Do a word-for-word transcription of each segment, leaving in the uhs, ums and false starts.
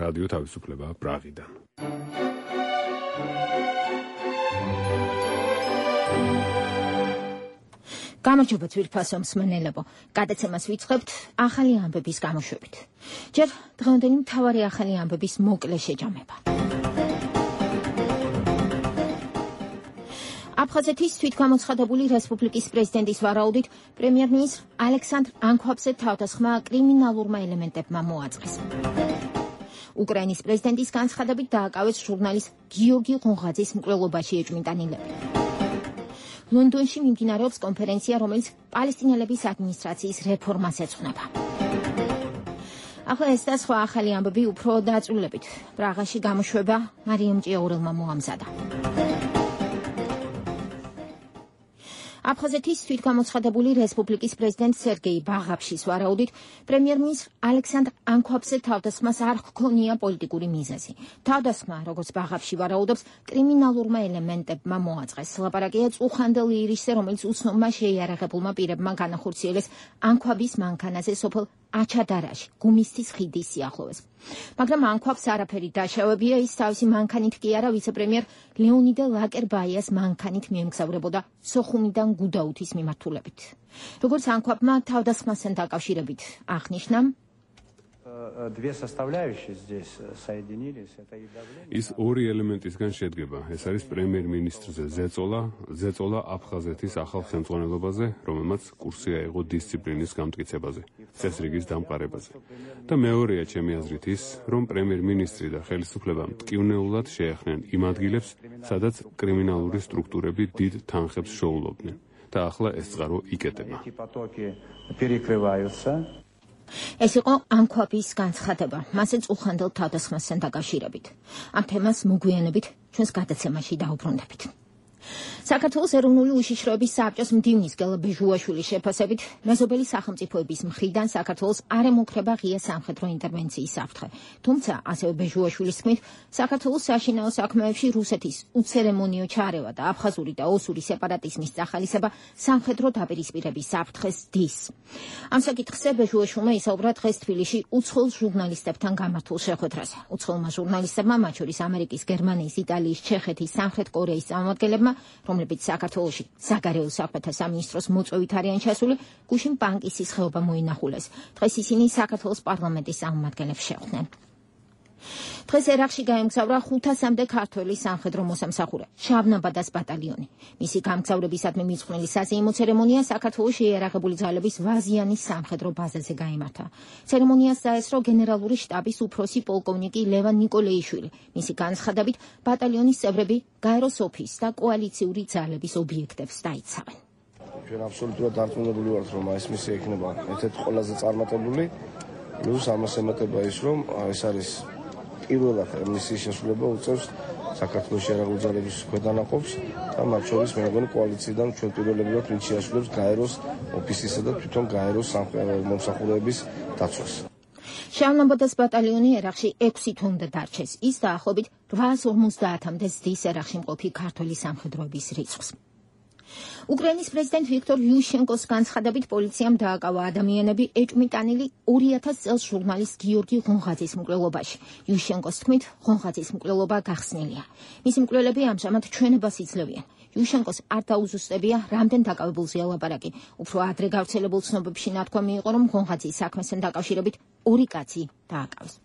რადიო თავისუფლება პრაღიდან. გამარჯობა ძვირფასო მსმენელებო, გადაცემას ვიწყებთ ახალი ამბების გამოშვებით. ჯერ დღევანდელი მთავარი ახალი ამბების მოკლე შეჯამება. აფხაზეთის თვითგამოცხადებული რესპუბლიკის პრეზიდენტის ვარაუდით პრემიერ-მინისტრ ალექსანდრ ანქვაბზე თავდასხმა კრიმინალურმა ელემენტებმა მოაწყეს. უკრაინის პრეზიდენტის განცხადებით დააკავეს ჟურნალისტ გიორგი ღონღაძის მკვლელობაში ეჭვმიტანილები. ლონდონში მიმდინარეობს კონფერენცია, რომელიც პალესტინელების ადმინისტრაციის რეფორმას ეძღვნება. ახლა ეს და სხვა ახალი ამბები უფრო დაწვრილებით. პრაღაში გამოშვება მარიამ ჭიაურელმა მოამზადა. აფხაზეთის თვითგამოცხადებული რესპუბლიკის პრეზიდენტ სერგეი ბაღაფშის ვარაუდით პრემიერ-მინისტრ ალექსანდრ ანქვაბზე თავდასხმას არ ჰქონია პოლიტიკური მიზეზი. თავდასხმა, როგორც ბაღაფში ვარაუდობს, კრიმინალურმა ელემენტებმა მოაწყეს. ლაპარაკია წუხანდელ ირისზე, რომელიც უცნობმა შეიარაღებულმა პირებმა განახორციელეს ანქვაბის მანქანაზე სოფელ აჩადარაში, გუმისთის ხიდის სიახლოვეს. მაგრამ ანქვაბს არაფერი დაშავებია, ის თავისი მანქანით კი არა, ვიცე-პრემიერ ლეონიდე ლაკერბაიას მანქანით მიემგზავრებოდა სოხუმიდან გუდაუთის მიმართულებით. როგორც ანქვაბმა თავდასხმასთან დაკავშირებით აღნიშნა, ის ორი ელემენტისგან შედგება. ეს არის პრემიერ-მინისტრზე ზეწოლა, ზეწოლა აფხაზეთის ახალ ხელმძღვანელობაზე, რომელმაც კურსი აიღო დისციპლინის გამტკიცებაზე, წესრიგის დამყარებაზე. და მეორეა ჩემი აზრით ის, რომ პრემიერ-მინისტრი და ხელისუფლება მტკივნეულად შეეხნენ იმ ადგილებს, სადაც კრიმინალური სტრუქტურები დიდ თანხებს შოულობდნენ. და ახლა ეს წყარო იკეტება. ეს იყო ანქვაბის განცხადება, მასე წუხანდელ თავდასხმასთან დაკავშირებით. ამ თემას მოგვიანებით ჩვენს გადაცემაში დაუბრუნდებით. საქართველოს ეროვნული უშიშროების საბჭოს მდივნის გელა ბეჟუაშვილის შეფასებით მეზობელი სახელმწიფოების მხრიდან საქართველოს არ ემუქრება ღია სამხედრო ინტერვენციის საფრთხე. თუმცა, ასევე ბეჟუაშვილის თქმით, საქართველოს საშინაო საქმეებში რუსეთის უცერემონიო ჩარევა და აფხაზური და ოსური სეპარატიზმის წახალისება სამხედრო დაპირისპირების საფრთხეს დის. ამ საკითხზე ბეჟუაშვილმა ისაუბრა დღეს თბილისში უცხოელ ჟურნალისტებთან გამართულ შეხვედრაზე. უცხოელმა ჟურნალისტებმა, მათ შორის ამერიკის, გერმანიის, იტალიის, ჩეხეთის, სამხრეთ კორეის წარმომადგენლებმა, რომლებიც საქართველოში საგარეო საქმეთა სამინისტროს მოწვევით არიან ჩასული, გუშინ პანკისის ხეობა მოინახულეს. დღეს ისინი საქართველოს პარლამენტის წარმომადგენლებს შეხვდნენ. დღეს ერაყში გაემგზავრა ხუთასამდე ქართველი სამხედრო მოსამსახურე, შავნაბადას ბატალიონი. მისი გამგზავრებისადმი მიძღვნილი საზეიმო ცერემონია საქართველოს შეიარაღებული ძალების ვაზიანის სამხედრო ბაზაზე გაიმართა. ცერემონიას დაესწრო გენერალური შტაბის უფროსი პოლკოვნიკი ლევან ნიკოლეიშვილი. მისი განცხადებით, ბატალიონის წევრები გაეროს ოფისს და კოალიციური ძალების ობიექტებს დაიცავენ. ჩვენ აბსოლუტურად დარწმუნებული ვართ, რომ ეს მისია იქნება ერთ-ერთი ყველაზე წარმატებული. პლუს ამას ემატება ის, რომ ეს არის პირველად მისიის შესრულება უწევს საქართველოს შეიარაღებული ძალების ქვედანაყოფს და მათ შორის მე მგონი კოალიციიდან ჩვენ პირველები ვართ, ვინც შეასრულებს გაეროს ოფისისა და თვითონ გაეროს მომსახურეების დაცვას. შავნაბადას ბატალიონი ერაყში ექვსი თვემდე დარჩეს. ის დაახლოებით რვაას ორმოცდაათამდე ზრდის ერაყში მყოფი ქართველი სამხედროების რიცხვს. უკრაინის პრეზიდენტ ვიქტორ იუშენკოს განცხადებით პოლიციამ დააკავა ადამიანები ეჭვმიტანილი ორი ათას წელს ჟურნალისტ გიორგი ღონღაძის მკვლელობაში. იუშენკოს თქმით, ღონღაძის მკვლელობა გახსნილია. მისი მკვლელები ამჟამად ჩვენებას იძლევიან. იუშენკოს არ დაუზუსტებია, რამდენ დაკავებულზეა ლაპარაკი. უფრო ადრე გავრცელებულ ცნობებში ნათქვამი იყო, რომ ღონღაძის საქმესთან დაკავშირებით ორი კაცი დააკავეს.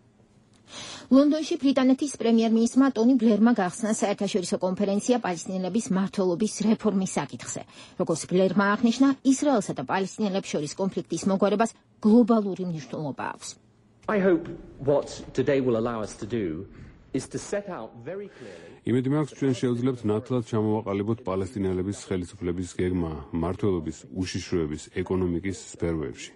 ლონდონში ბრიტანეთის პრემიერ-მინისტრმა ტონი ბლერმა გახსნა საერთაშორისო კონფერენცია პალესტინელების მმართველობის რეფორმის საკითხზე. როგორც ბლერმა აღნიშნა, ისრაელსა და პალესტინელებს შორის კონფლიქტის მოგვარებას გლობალური მნიშვნელობა აქვს. I hope what today will allow us to do is to set out very clearly. იმედი მაქვს, ჩვენ შევძლებთ ნათლად ჩამოვაყალიბოთ პალესტინელების ხელისუფლების გეგმა მმართველობის, უშიშროების, ეკონომიკის სფეროებში.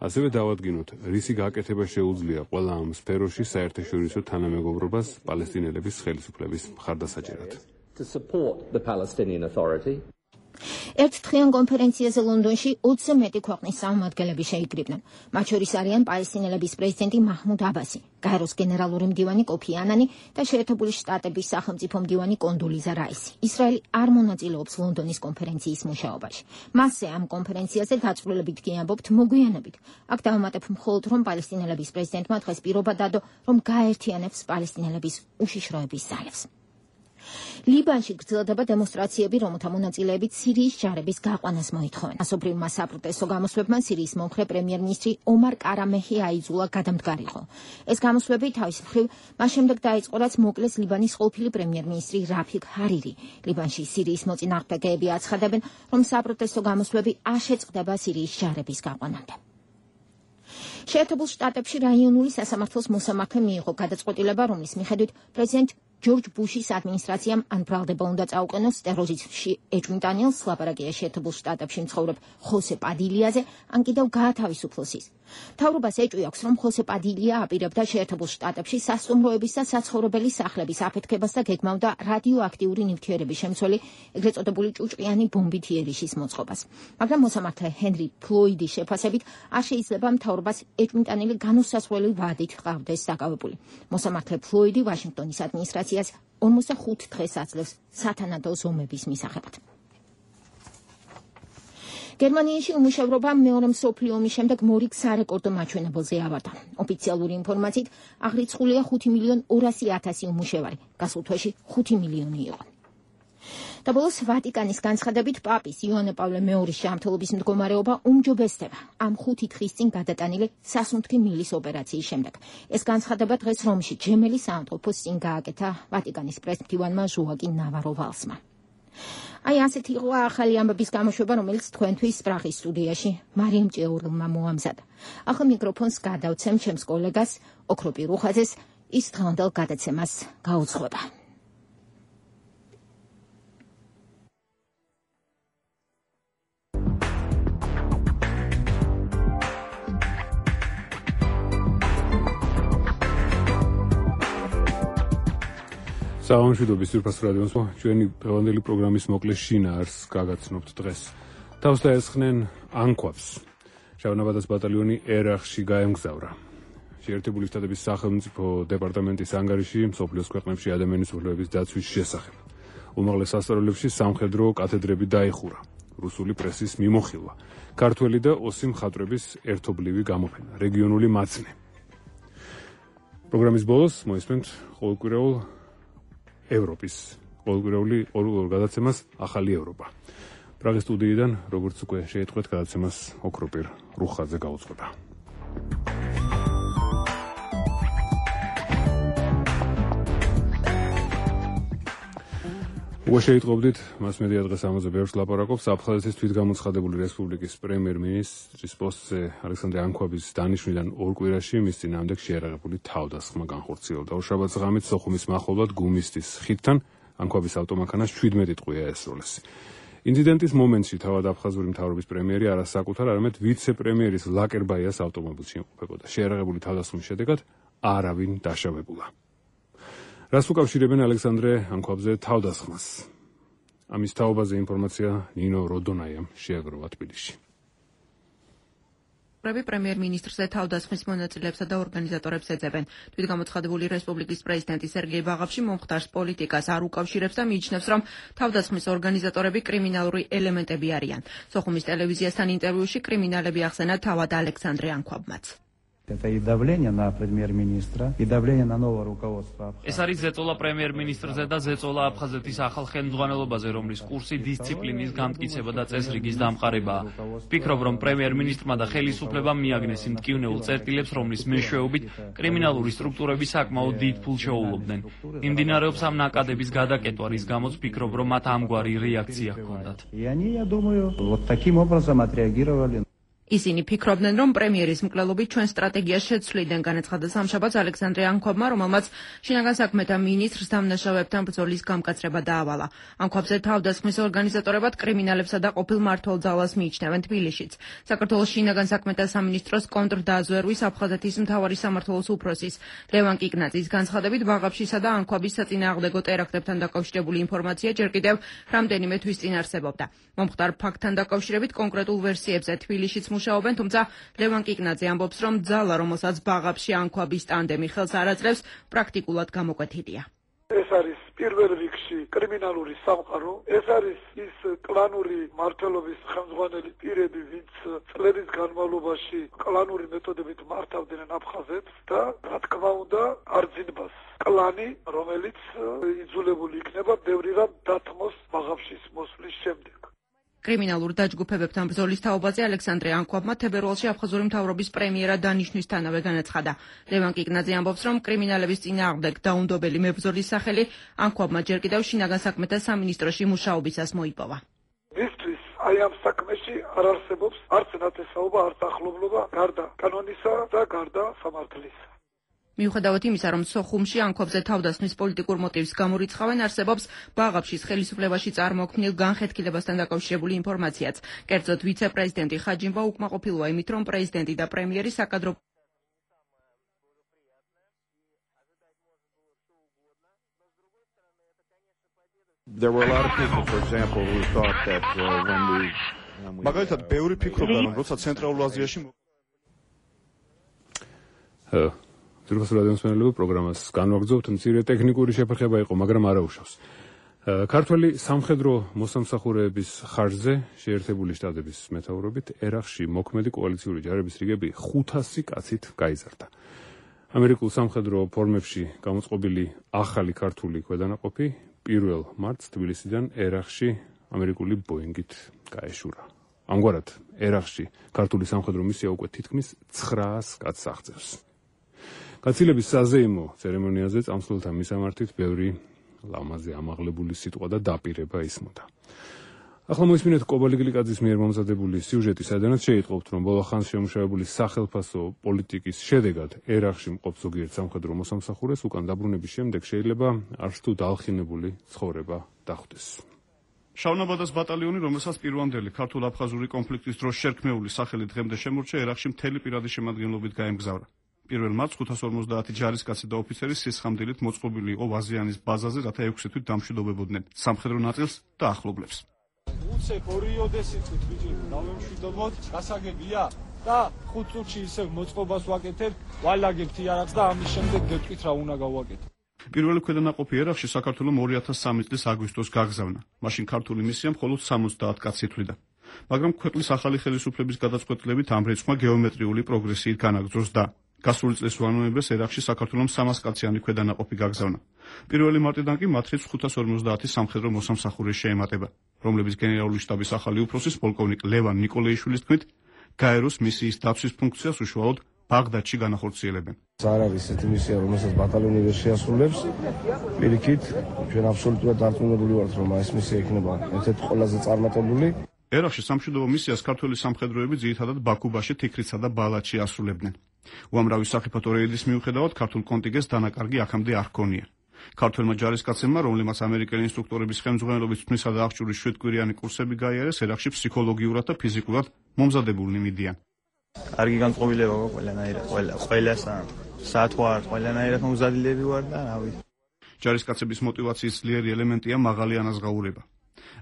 ასევე დავადგინოთ, რისი გაკეთება შეუძლია ყველა ამ სფეროში საერთაშორისო თანამეგობრობას პალესტინელების ხელისუფლების მხარდასაჭერად. ერთ დღიან კონფერენციაზე ლონდონში ოცზე მეტი ქვეყნის წარმომადგენლები შეიკრიბნენ. მათ შორის არიან პალესტინელების პრეზიდენტი მაჰმუდ აბასი, გაეროს გენერალური მდივანი კოფი ანანი და შეერთებული შტატების სახელმწიფო მდივანი კონდოლიზა რაისი. ისრაელი არ მონაწილეობს ლონდონის კონფერენციის მუშაობაში. მასზე ამ კონფერენციაზე დაწვრილებით კი ამბობთ მოგვიანებით. აქ დავამატებ მხოლოდ, რომ პალესტინელების პრეზიდენტმა დღეს პირობა დადო, რომ გაერთიანებს პალესტინელების უშიშროების ძალებს. ლიბანში გრძელდება დემონსტრაციები, რომელთა მონაწილეებით სირიის ჯარების გაყვანას მოითხოვენ. მასობრივმა საპროტესტო გამოსვლებმა სირიის მომხრე პრემიერ-მინისტრი ომარ კარამეჰი აიძულა გადამდგარიყო. ეს გამოსვლები თავის მხრივ მას შემდეგ დაიწყო, რაც მოკლეს ლიბანის ყოფილი პრემიერ-მინისტრი რაფიგ ჰარირი. ლიბანში სირიის მოწინააღმდეგეები აცხადებენ, რომ საპროტესტო გამოსვლები არ შეწყდება სირიის ჯარების გაყვანამდე. შეერთებულ შტატებში რაიონული სასამართლოს მოსამართლე მიიღო გადაწყვეტილება, რომლის მიხედვით პრეზიდენტ ჯორჯ ბუშის ადმინისტრაციამ ან ბრალდება უნდა წაუყენოს ტერორიზმში ეჭვმიტანილს, ლაპარაკია შეერთებულ შტატებში მცხოვრებ ხოსე პადილიაზე, ან კიდევ გაათავისუფლოს ის. მთავრობას ეჭვი აქვს, რომ ხოსე პადილია აპირებდა შეერთებულ შტატებში სასტუმროების და საცხოვრებელი სახლების აფეთქებას და გეგმავდა რადიოაქტიური ნივთიერების შემცველი, ეგრეთ წოდებული ჭუჭყიანი ბომბით იერიშის მოწყობას. მაგრამ მოსამართლე ჰენრი ფლოიდის შეფასებით არ შეიძლება მთავრობას ეჭვმიტანილი განუსაზღვრელი ვადით ჰყავდეს დაკავებული. მოსამართლე ფლოიდი ვაშინგტონის ადმინისტრაციას ორმოცდახუთ დღეს აძლევს სათანადო ზომების მისაღებად. გერმანიაში უმუშევრობა მეორე მსოფლიო ომის შემდეგ მორიგ სარეკორდო მაჩვენებელზე ავარდა. ოფიციალური ინფორმაციით აღრიცხულია ხუთი მილიონი ორასი ათასი უმუშევარი, გასულ თვეში ხუთი მილიონი იყო. და ბოლოს ვატიკანის განცხადებით პაპის იოანე პავლე მეორის ჯანმრთელობის მდგომარეობა უმჯობესდება ამ ხუთი დღის წინ გადატანილი სასუნთქი მილის ოპერაციის შემდეგ. ეს განცხადება დღეს რომში ჯემელის საავადმყოფოს წინ გააკეთა ვატიკანის პრეს-მდივანმა ჟოაკინ ნავარო ვალსმა. აი ასეთი იყო ახალი ამბების გამოშვება, რომელიც თქვენთვის პრაღის სტუდიაში მარიამ ჭეურულმა მოამზადა. ახლა მიკროფონს გადავცემ ჩემს კოლეგას ოქროპი რუხაძეს, ის დღევანდელ გადაცემას გაუძღვება. საამშვიდობის ძვირფას რადიოს ჩვენი დღევანდელი პროგრამის მოკლე შინაარს გაგაცნობთ დღეს. თავს დაესხნენ ანკვაპს. შავნაბადას ბატალიონი ერახში გაემგზავრა. შეერთებული შტატების სახელმწიფო დეპარტამენტის ანგარიში მსოფლიოს ქვეყნებში ადამიანის უფლებების დაცვის შესახებ. უმაღლეს სასწავლებლებში სამხედრო კათედრები დაიხურა. რუსული პრესის მიმოხილვა. ქართველი და ოსი მხატვრების ერთობლივი გამოფენა. რეგიონული მაცნე. პროგრამის ბოლოს მოისმენთ ყოველკვირეულ ევროპის ყოველკვირეული ორ გადაცემას ახალი ევროპა. პრაღის სტუდიიდან, როგორც უკვე შეიტყვეთ, გადაცემას ოქროპირ რუხაძე გაუძღვება. უკვე შეიტყობდით, მასმედია დღეს ამაზე ბევრს ლაპარაკობს. აფხაზეთის თვითგამოცხადებული რესპუბლიკის პრემიერ-მინისტრის პოსტზე ალექსანდრე ანკვაბის დანიშვნიდან ორ კვირაში მის წინააღმდეგ შეერაღებული თავდასხმა განხორციელდა. ორშაბათს ღამით სოხუმის მახლობლად გუმისტის ხიდთან ანკვაბის ავტომანქანას შვიდმეტი ტყვია ესროლეს. ინციდენტის მომენტში თავად აფხაზური მთავრობის პრემიერი არა საკუთარ, არამედ ვიცე-პრემიერის ლაკერბაიას ავტომობილში იმყოფებოდა. შეერაღებული თავდასხმის შედეგად არავინ დაშავებულა. რას უკავშირებენ ალექსანდრე ანკვაბზე თავდასხმას? ამის თაობაზე ინფორმაცია ნინო როდონაიამ შეაგროვა თბილისში. პრემიერ-მინისტრზე თავდასხმის მონაწილეებსა და ორგანიზატორებს ეძებენ. თვითგამოცხადებული რესპუბლიკის პრეზიდენტი სერგეი ბაღავში მომხდარს პოლიტიკას არ უკავშირებს და მიიჩნევს, რომ თავდასხმის ორგანიზატორები კრიმინალური ელემენტები არიან. სოხუმის ტელევიზიასთან ინტერვიუში კრიმინალები ახსენა თავად ალექსანდრე ანკვაბმაც. Это и давление на премьер-министра, и давление на новое руководство. ეს არის ზეწოლა პრემიერ-მინისტრზე და ზეწოლა აფხაზეთის ახალ ხელმძღვანელობაზე, რომლის კურსი დისციპლინის გამტკიცება და წესრიგის დამყარებაა. ვფიქრობ, რომ პრემიერ-მინისტრმა და ხელისუფლებამ მიაგნეს იმ მტკივნეულ წერტილებს, რომლის მეშვეობით კრიმინალური სტრუქტურები საკმაოდ დიდ ფულს შეუვლობდნენ. მიმდინარეობს ამ ნაკადების გადაკეტვა, რის გამოც ვფიქრობ, რომ მათ ამგვარი რეაქცია ჰქონდათ. И они, я думаю, вот таким образом отреагировали. ისინი ფიქრობდნენ, რომ პრემიერის მკვლელობით ჩვენ სტრატეგიას შეცვლიდან, განაცხადა სამშაბათს ალექსანდრე ანქვაბმა, რომელმაც შინაგან საქმეთა მინისტრს დამნაშავეებთან ბრძოლის გამკაცრება დაავალა. ანქვაბზე თავდასხმის ორგანიზატორებად კრიმინალებსა და ყოფილ მმართველ-ძალას მიიჩნევენ თბილისშიც. საქართველოს შინაგან საქმეთა სამინისტროს კონტრდაზვერვის აფხაზეთის მთავარი სამმართველოს უფროსის ლევან კიკნაძის განცხადებით, ბაღაფშისა და ანქვაბის საწინააღმდეგო ტერაქტებთან დაკავშირებული ინფორმაცია ჯერ კიდევ რამდენიმე თვის წინ არსებობდა. მომხდარ ფაქტთან დაკავშირებით კონკრეტულ ვერსიებზე თბილისშიც მუშაობენ, თუმცა ლევან კიკნაძე ამბობს, რომ ძალა, რომელსაც ბაღაფში ანქვაბის ტანდემი ხელს არ აძლევს, პრაქტიკულად გამოკვეთილია. ეს არის პირველ რიგში კრიმინალური სამყარო, ეს არის ის კლანური მმართველობის ხელმძღვანელი პირები, ვინც წლების განმავლობაში კლანური მეთოდებით მართავდნენ აფხაზეთს და რა თქმა უნდა არძინბას კლანი, რომელიც იძულებული იქნება ბევრი რამ დათმოს ბაღაფშის მოსვლის შემდეგ. კრიმინალურ დაჯგუფებებთან ბრძოლის თაობაზე ალექსანდრე ანქვაბმა თებერვალში აფხაზური მთავრობის პრემიერად დანიშვნისთანავე განაცხადა. ლევან კიკნაძე ამბობს, რომ კრიმინალების წინააღმდეგ დაუნდობელი მებრძოლის სახელი ანქვაბმა ჯერ კიდევ შინაგან საქმეთა სამინისტროში მუშაობისას მოიპოვა. მისთვის აი ამ საქმეში არ არსებობს არც ნათესაობა, არც ახლობლობა გარდა კანონისა და გარდა სამართლისა. მიუხედავად იმისა, რომ სოხუმში ანქვაბზე თავდასხმის პოლიტიკურ მოტივს გამორიცხავენ, არსებობს ბაღაფშის ხელისუფლებაში წარმოქმნილ განხეთქილებასთან დაკავშირებული ინფორმაციაც. კერძოდ, ვიცე-პრეზიდენტი ხაჯიმბა უკმაყოფილოა იმით, რომ პრეზიდენტი და პრემიერი საკადრო There were a lot of people, for example, who thought that uh, when we მაგალითად, ბევრი ფიქრობდა, რომ როცა ცენტრალურ აზიაში ძირფას რადიომსმენელებო პროგრამას განვაგრძობთ, მცირე ტექნიკური შეფერხება იყო, მაგრამ არა უშავს. ქართველი სამხედრო მოსამსახურეების ხარჯზე შეერთებული შტატების მეთაურობით ერაყში მოქმედი კოალიციური ჯარების რიგები ხუთასი კაცით გაიზარდა. ამერიკულ სამხედრო ფორმებში გამოწყობილი ახალი ქართული ქვედანაყოფი პირველ მარტს თბილისიდან ერაყში ამერიკული ბოინგით გაეშურა. ამგვარად, ერაყში ქართული სამხედრო მისია უკვე თითქმის ცხრაას კაცს აღწევს. გაცილების საზეიმო ცერემონიაზე წამსვლელთა მისამართით ბევრი ლამაზი ამაღლებული სიტყვა და დაპირება ისმოდა. ახლა მოისმინეთ კობალი გლიკაძის მიერ მომზადებული სიუჟეტი, სადაც შეიტყობთ, რომ ბოლო ხანს შემუშავებული სახელფასო პოლიტიკის შედეგად ერაყში მყოფ ზოგიერთ სამხედრო მოსამსახურეს უკან დაბრუნების შემდეგ შეიძლება არც თუ დაალხინებული ცხოვრება დახვდეს. შავნაბადას ბატალიონი, რომელსაც პირვანდელი ქართულ-აფხაზური კონფლიქტის დროს შერქმეული სახელი დღემდე შემორჩა, ერაყში მთელი პირადი შემადგენლობით გაემგზავრა. პირველ მარტს ხუთას ორმოცდაათი ჯარისკაცი და ოფიცერი სისხამდილით მოწყობილი იყო ვაზიანის ბაზაზე, რათა ექვსი თვით დამშვიდობებოდნენ სამხედრო ნაწილს და ახლობლებს. უცებ ორი ოდესით ბიჭი დავემშვიდობოთ, გასაგებია და ხუთ წუთში ისევ მოწყობას ვაკეთებ, ვალაგებთ იარაღს და ამის შემდეგ გეტყვით რა უნდა გავაკეთო. პირველი ქვედანაყოფი ერაყში საქართველოს ორი ათას სამი წლის აგვისტოს გაგზავნა. მაშინ ქართული მისია მხოლოდ სამოცდაათ კაცს ითვლიდა. მაგრამ ქვეყნის ახალი ხელისუფლების გადაწყვეტილებით ამ რიცხვმა გეომეტრიული პროგრესიით განაგრძოს და გასული წლის უამრავეს ერაყში საქართველოს სამას კაციანი ქვედანაყოფი გაგზავნა. პირველი მარტიდან კი მათ რიცხვს ხუთას ორმოცდაათი სამხედრო მოსამსახურე შეემატება, რომლების გენერალური შტაბის ახალი უფროსის პოლკოვნიკ ლევან ნიკოლეიშვილის თქმით, გაეროს მისიის დაცვის ფუნქციას უშუალოდ ბაღდადში განახორციელებენ. არ არის ესეთი მისია, რომელსაც ბატალიონი ვერ შეასრულებს. პირიქით, ჩვენ აბსოლუტურად დარწმუნებული ვართ, რომ ეს მისია იქნება ერთ-ერთი ყველაზე წარმატებული. ერაყში სამშვიდობო მისიას ქართული სამხედროები ძირითადად ბაქუბაში, თიქრიცსა და ბალაჩში ასრულებდნენ. უამრავი სახიფათო რეიდის მიუხედავად ქართულ კონტინგენტს დანაკარგი აქამდე არ ჰქონია. ქართველმა ჯარისკაცებმა, რომლებმაც ამერიკელი ინსტრუქტორების ხელმძღვანელობით თმისა და აღჭურის შვიდკვირიანი კურსები გაიარეს, ერაყში ფსიქოლოგიურად და ფიზიკურად მომზადებულნი მიდიან. კარგი განწყობილება გქონდა ყველანაირად, ყველა, ყველა საათვარ, ყველანაირად მომზადილები ვარ და რა ვიცი. ჯარისკაცების мотиваციის ძლიერი ელემენტია მაღალი ანაზღაურება.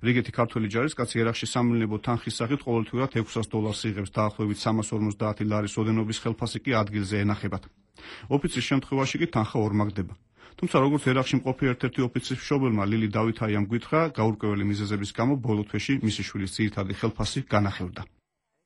რიგეთი ქართველი ჯარისკაცი ერაყში სამილნებო თანხის სახით ყოველთვიურად ექვსას დოლარს იღებს, დაახლოებით სამას ორმოცდაათი ლარის ოდენობის ხელფასი კი ადგილზე ენახებათ. ოფიცრის შემთხვევაში კი თანხა ორმაგდება. თუმცა როგორც ერაყში მყოფი ერთ-ერთი ოფიცრის მშობელმა ლილი დავითაიამ გითხრა, გაურკვეველი მიზეზების გამო ბოლო თვეში მისი შვილის ძირითადი ხელფასი განახევდა.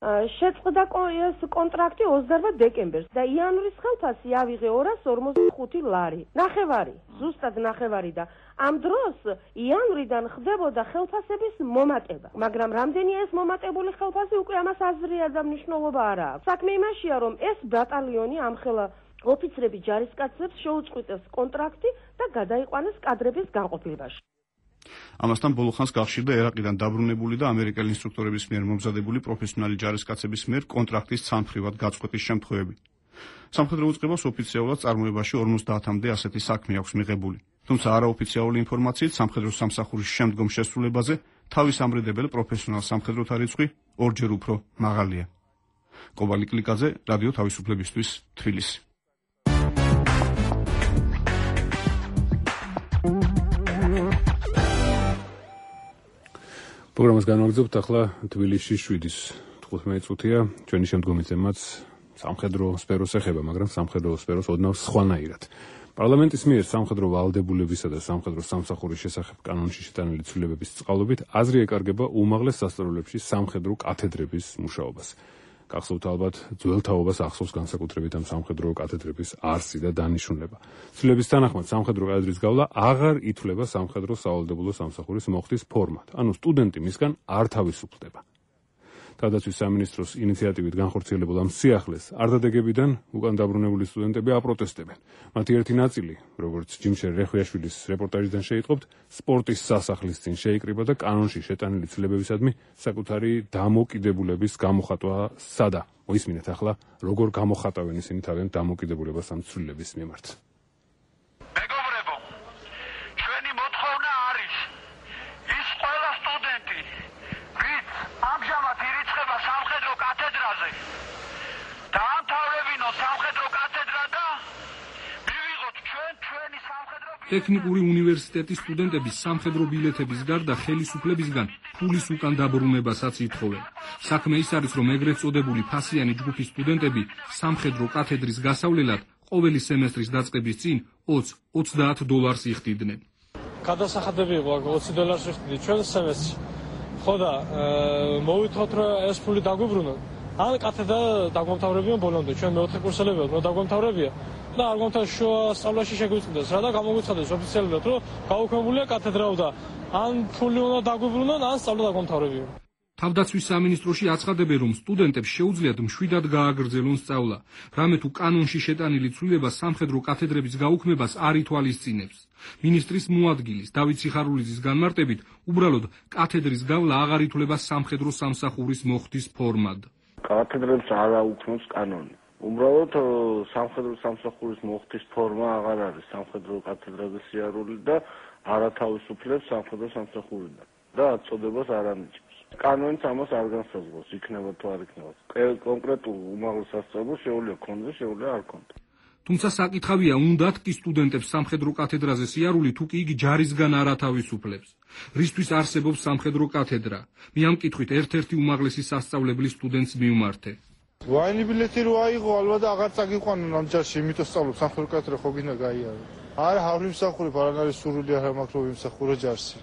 შეწყდა ეს კონტრაქტი ოცდაოთხ დეკემბერს და იანვრის ხელფასი ავიღე ორას ორმოცდახუთი ლარი. ნახევარი, ზუსტად ნახევარი და ამ დროს იანვრიდან ხდებოდა ხელფასების მომატება. მაგრამ რამდენია ეს მომატებული ხელფასი, უკვე ამას აზრია და მნიშვნელობა არ აქვს. საქმე იმაშია, რომ ეს ბატალიონი ამხელა ოფიცრები ჯარისკაცებს შეუწყვიტეს კონტრაქტი და გადაიყვანეს კადრების განყოფილებაში. ამასთან ბოლო ხანს გახშირდა ერაყიდან დაბრუნებული და ამერიკელი ინსტრუქტორების მიერ მომზადებული პროფესიონალი ჯარისკაცების მიერ კონტრაქტის ცალმხრივად გაწყვეტის შემთხვევები. სამხედრო უწყებას ოფიციალურად წარმოებაში ორმოცდაათამდე ასეთი საქმე აქვს მიღებული. თუმცა არაოფიციალური ინფორმაციით სამხედრო სამსახურის შემდგომ შესრულებაზე თავის ამრედებელ პროფესიონალ სამხედროთა რიცხვი ორჯერ უფრო მაღალია. კობალი კლიკაძე, რადიო თავისუფლებისთვის, თბილისი. პროგრამას განვაგრძობთ ახლა თბილისში შვიდის თხუთმეტი წუთია. ჩვენი შემდგომი თემაც სამხედრო სფეროს ეხება, მაგრამ სამხედრო სფეროს ოდნავ სხვანაირად. პარლამენტის მიერ სამხედრო ვალდებულებისა და სამხედრო სამსახურის შესახებ კანონში შეტანილი ცვლილებების წყალობით აზრი ეკარგება უმაღლეს სასწავლებლებში სამხედრო კათედრების მუშაობას. გახსოვთ ალბათ ძველ თაობას ახსოვს განსაკუთრებით ამ სამხედრო კათედრების არსი და დანიშნულება. ცვლილების თანახმად სამხედრო კათედრის გავლა აღარ ითვლება სამხედრო სავალდებულო სამსახურის მოხდის ფორმად, ანუ სტუდენტი მისგან არ თავისუფლდება. თავდაცვის სამინისტროს ინიციატივით განხორციელებულ ამ სიახლეს არდადეგებიდან უკან დაბრუნებული სტუდენტები აპროტესტებენ. მათი ერთი ნაწილი, როგორც ჯიმშერ რეხვიაშვილის რეპორტაჟიდან შეიტყობთ, სპორტის სასახლის წინ შეიკრიბა და კანონში შეტანილი ცვლილებებისადმი საკუთარი დამოკიდებულების გამოხატვა სადა. მოისმინეთ ახლა, როგორ გამოხატავენ ისინი თავიანთ დამოკიდებულებას ამ ცვლილების მიმართ. მეგობრებო, ჩვენი მოთხოვნა არის ის ყველა სტუდენტი, ვინც ამჟამად ირიცხება სამხედრო კათედრაზე, დაამთავრებინო სამხედრო კათედრა და მივიღოთ ჩვენ ჩვენი სამხედრო ტექნიკური უნივერსიტეტის სტუდენტების სამხედრო ბილეთების გარდა ხელისუფლებისგან ფულის უკან დაბრუნებასაც ითხოვენ. საქმე ის არის, რომ ეგრეთ წოდებული ფასიანი ჯგუფის სტუდენტები სამხედრო კათედრის გასავლელად ყოველი სემესტრის დაწყების წინ ოცდაათ დოლარს იხდიდნენ. გადასახადები იყო ოცი დოლარს ვიხდიდი ჩვენ სემესტრში. ხო და მოვითხოვთ რომ ეს ფული დაგვიბრუნოთ. ან კათედრა დაგვამთავრებიან ბოლომდე, ჩვენ მეოთხე კურსელები ვართ, რომ დაგვამთავრებია და არ გვამთავრებს შუა სწავლაში შეგვიწყდეს რა და გამოგვიცხადეს ოფიციალურად, რომ გაუქმებულია კათედრა და ან ფული უნდა დაგვიბრუნონ, ან სწავლა დაგვამთავრებიან. თავდაცვის სამინისტროში აცხადებენ, რომ სტუდენტებს შეუძლიათ მშვიდად გააგრძელონ სწავლა, რამე თუ კანონში შეტანილი ცვლილება სამხედრო კათედრების გაუქმებას არ ითვალისწინებს. მინისტრის მოადგილის დავით სიხარულიძის განმარტებით, უბრალოდ კათედრის გავლა აღარ ითვლება სამხედრო სამსახურის მოხდის ფორმად. კათედრებს არ აუქმებს კანონი. უბრალოდ სამხედრო სამსახურის მოხდის ფორმა აღარ არის სამხედრო კათედრების სიარული და არათავისუფლებს სამხედრო სამსახურიდან და აწოდებას არ ანიჭებს. კანონიც ამას არ განსაზღვრავს, იქნება თუ არ იქნება. კონკრეტულ უმაღლეს სასწავლებლს შეუძლია ქონდეს, შეუძლია არ ქონდეს. თუმცა საკითხავია, უნდათ კი სტუდენტებს სამხედრო კათედრაზე სიარული, თუ კი იგი ჯარისგან არ ათავისუფლებს. რისთვის არსებობს სამხედრო კათედრა? მე ამ კითხვით ერთ-ერთი უმაღლესი სასწავლებლის სტუდენტს მივმართე. ვაინი ბილეთი რო აიღო, ალბათ აღარ წაგიყვანონ ამ ჯარში, იმიტომ სწავლობ სამხედრო კათედრა ხო გინდა გაიარო. არა, არ ვიმსახურებ, არ არის სურვილი არ მაქვს რომ ვიმსახურო ჯარში.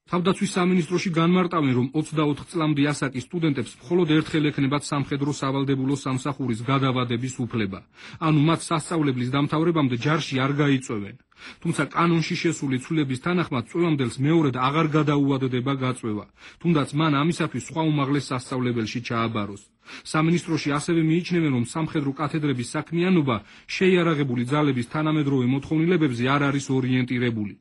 თავდაცვის სამინისტროში განმარტავენ, რომ ოცდაოთხ წლამდე ასაკის სტუდენტებს მხოლოდ ერთხელ ექნებათ სამხედრო სავალდებულო სამსახურის გადავადების უფლება. ანუ მათ სასწავლებლის დამთავრებამდე ჯარში არ გაიწვევენ. თუმცა კანონში შესული ცვლილების თანახმად წვევამდელს მეორედ აღარ გადაუვადდება გაწვევა, თუნდაც მან ამისათვის სხვა უმაღლეს სასწავლებელში ჩააბაროს. სამინისტროში ასევე მიიჩნევენ, რომ სამხედრო კათედრების საქმიანობა შეიარაღებული ძალების თანამედროვე მოთხოვნილებებზე არ არის ორიენტირებული.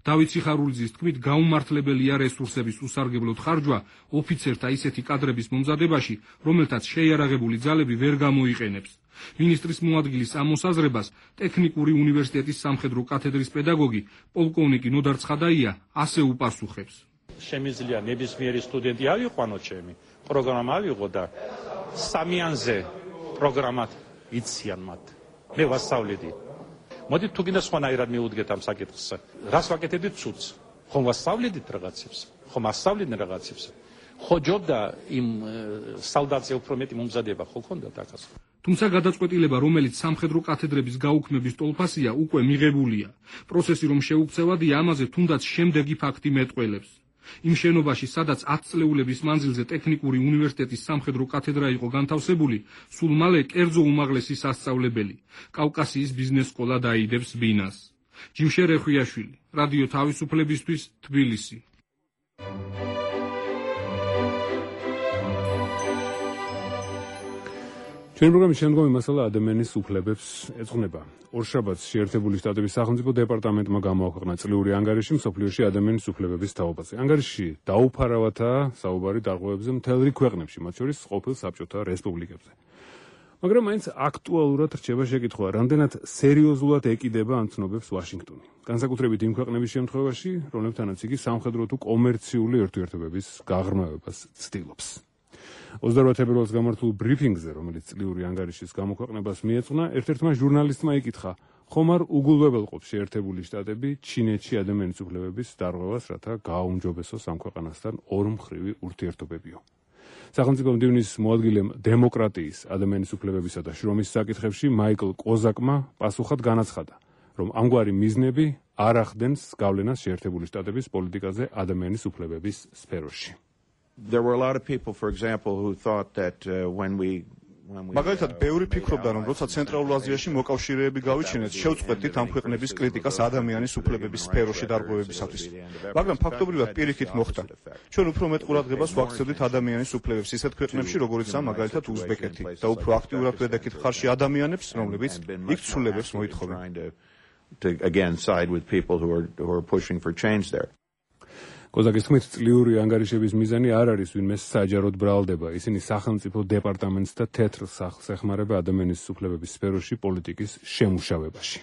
დავით სიხარულიძის თქმით, გაუმართლებელია რესურსების უსარგებლოდ ხარჯვა ოფიცერთა ისეთი კადრების მომზადებაში, რომელთაც შეიარაღებული ძალები ვერ გამოიყენებს. მინისტრის მოადგილის ამ მოსაზრებას ტექნიკური უნივერსიტეტის სამხედრო კათედრის პედაგოგი პოლკოვნიკი ნოდარ ცხადაია ასე უპასუხებს. შემიძლია ნებისმიერი სტუდენტი ავიყვანო ჩემი პროგრამა ავიღო და სამიანზე პროგრამად იციან მათ. მე ვასწავლედი. მოდით თუ გინდა სხვანაირად მიუდგეთ ამ საკითხს. რას ვაკეთებდით ცუდს? ხომ ვასწავლედით რაღაცებს? ხომ ასწავლდნენ რაღაცებს? ხო ჯობდა იმ სალდატზე უფრო მეტი მომზადება ხო ქონდათ ახას? თუმცა გადაწყვეტილება, რომელიც სამხედრო კათედრების გაუქმების ტოლფასია, უკვე მიღებულია. პროცესი რომ შეუქცევადია, ამაზე თუნდაც შემდეგი ფაქტი მეტყველებს. იმ შენობაში, სადაც ათი წლეულების მანძილზე ტექნიკური უნივერსიტეტის სამხედრო კათედრა იყო განთავსებული, სულ მალე კერძო უმაღლესი სასწავლებელი, კავკასიის ბიზნეს სკოლა დაიდებს ბინას. ჯიმშერ რეხვიაშვილი, რადიო თავისუფლებისთვის, თბილისი. ჩვენი პროგრამის შემდგომი მასალა ადამიანის უფლებებს ეძღვნება. ორშაბათს შეერთებული შტატების სახელმწიფო დეპარტამენტმა გამოაქვეყნა წლიური ანგარიში მსოფლიოში ადამიანის უფლებების თაობაზე. ანგარიში დაუფარავათაა საუბარი დარღვევებზე მთელ რიგ ქვეყნებში, მათ შორის ყოფილ საბჭოთა რესპუბლიკებზე. მაგრამ მაინც აქტუალურად რჩება შეკითხვა, რამდენად სერიოზულად ეკიდება ამ ცნობებს ვაშინგტონი. განსაკუთრებით იმ ქვეყნების შემთხვევაში, რომლებთანაც იგი სამხედრო თუ კომერციული ურთიერთობების გაღრმავებას ცდილობს. ოცდაოთხ თებერვალს გამართულ ბრიფინგზე, რომელიც წლიური ანგარიშის გამოქვეყნებას მიეძღვნა, ერთ-ერთმა ჟურნალისტმა იკითხა, ხომ არ უგულვებელყოფს შეერთებული შტატები ჩინეთში ადამიანის უფლებების დარღვევას, რათა გააუმჯობესოს ამ ქვეყანასთან ორმხრივი ურთიერთობებიო. სახელმწიფო მდივნის მოადგილემ დემოკრატიის, ადამიანის უფლებებისა და შრომის საკითხებში მაიკლ კოზაკმა პასუხად განაცხადა, რომ ამგვარი მიზნები არ ახდენს გავლენას შეერთებული შტატების პოლიტიკაზე ადამიანის უფლებების სფეროში. There were a lot of people, for example, who thought that uh, when we მაგალითად, ბევრი ფიქრობდა, რომ როცა ცენტრალურ აზიაში მოკავშირეები გავიჩინეთ, შევწყვეტით ამ ქვეყნების კრიტიკას ადამიანის უფლებების სფეროში დარღვევებისათვის. მაგრამ ფაქტობრივად პირიქით მოხდა. ჩვენ უფრო მეტ ყურადღებას ვაქცევდით ადამიანის უფლებებს ისეთ ქვეყნებში, როგორიცაა მაგალითად უზბეკეთი და უფრო აქტიურად ვედაქით ხარში ადამიანებს, რომლებიც იქ ცვლილებებს მოითხოვენ. to again side with people who are who are pushing for change there. კოზაკის თქმით, წლიური ანგარიშების მიზანი არ არის ვინმე საჯაროდ ბრალდება. ისინი სახელმწიფო დეპარტამენტს და თეთრ სახლს ეხმარება ადამიანის უფლებების სფეროში პოლიტიკის შემუშავებაში.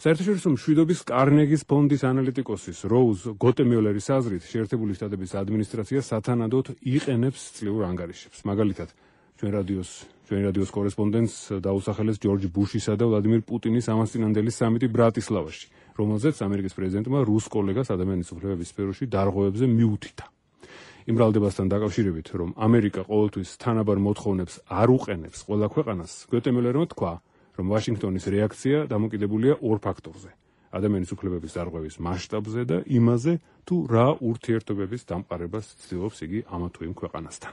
საერთაშორისო მშვიდობის კარნეგის ფონდის ანალიტიკოსის როუზ გოტემიოლერის აზრით, შეერთებული შტატების ადმინისტრაცია სათანადოდ იყენებს წლიურ ანგარიშებს. მაგალითად, ჩვენ რადიოს ჩვენი რადიოს კორესპონდენტს დაუსახელეს ჯორჯ ბუშისა და ვლადიმირ პუტინის ამასწინანდელი სამიტი ბრატისლავაში, რომელზეც ამერიკის პრეზიდენტმა რუს კოლეგას ადამიანის უფლებების სფეროში დარღვევებზე მიუთითა. იმ ბრალდებასთან დაკავშირებით, რომ ამერიკა ყოველთვის თანაბარ მოთხოვნებს არ უყენებს ყველა ქვეყანას, გოტემიოლერმა თქვა, რომ ვაშინგტონის რეაქცია დამოკიდებულია ორ ფაქტორზე: ადამიანის უფლებების დარღვევის მასშტაბზე და იმაზე, თუ რა ურთიერთობების დამყარებას ცდილობს იგი ამა თუ იმ ქვეყანასთან.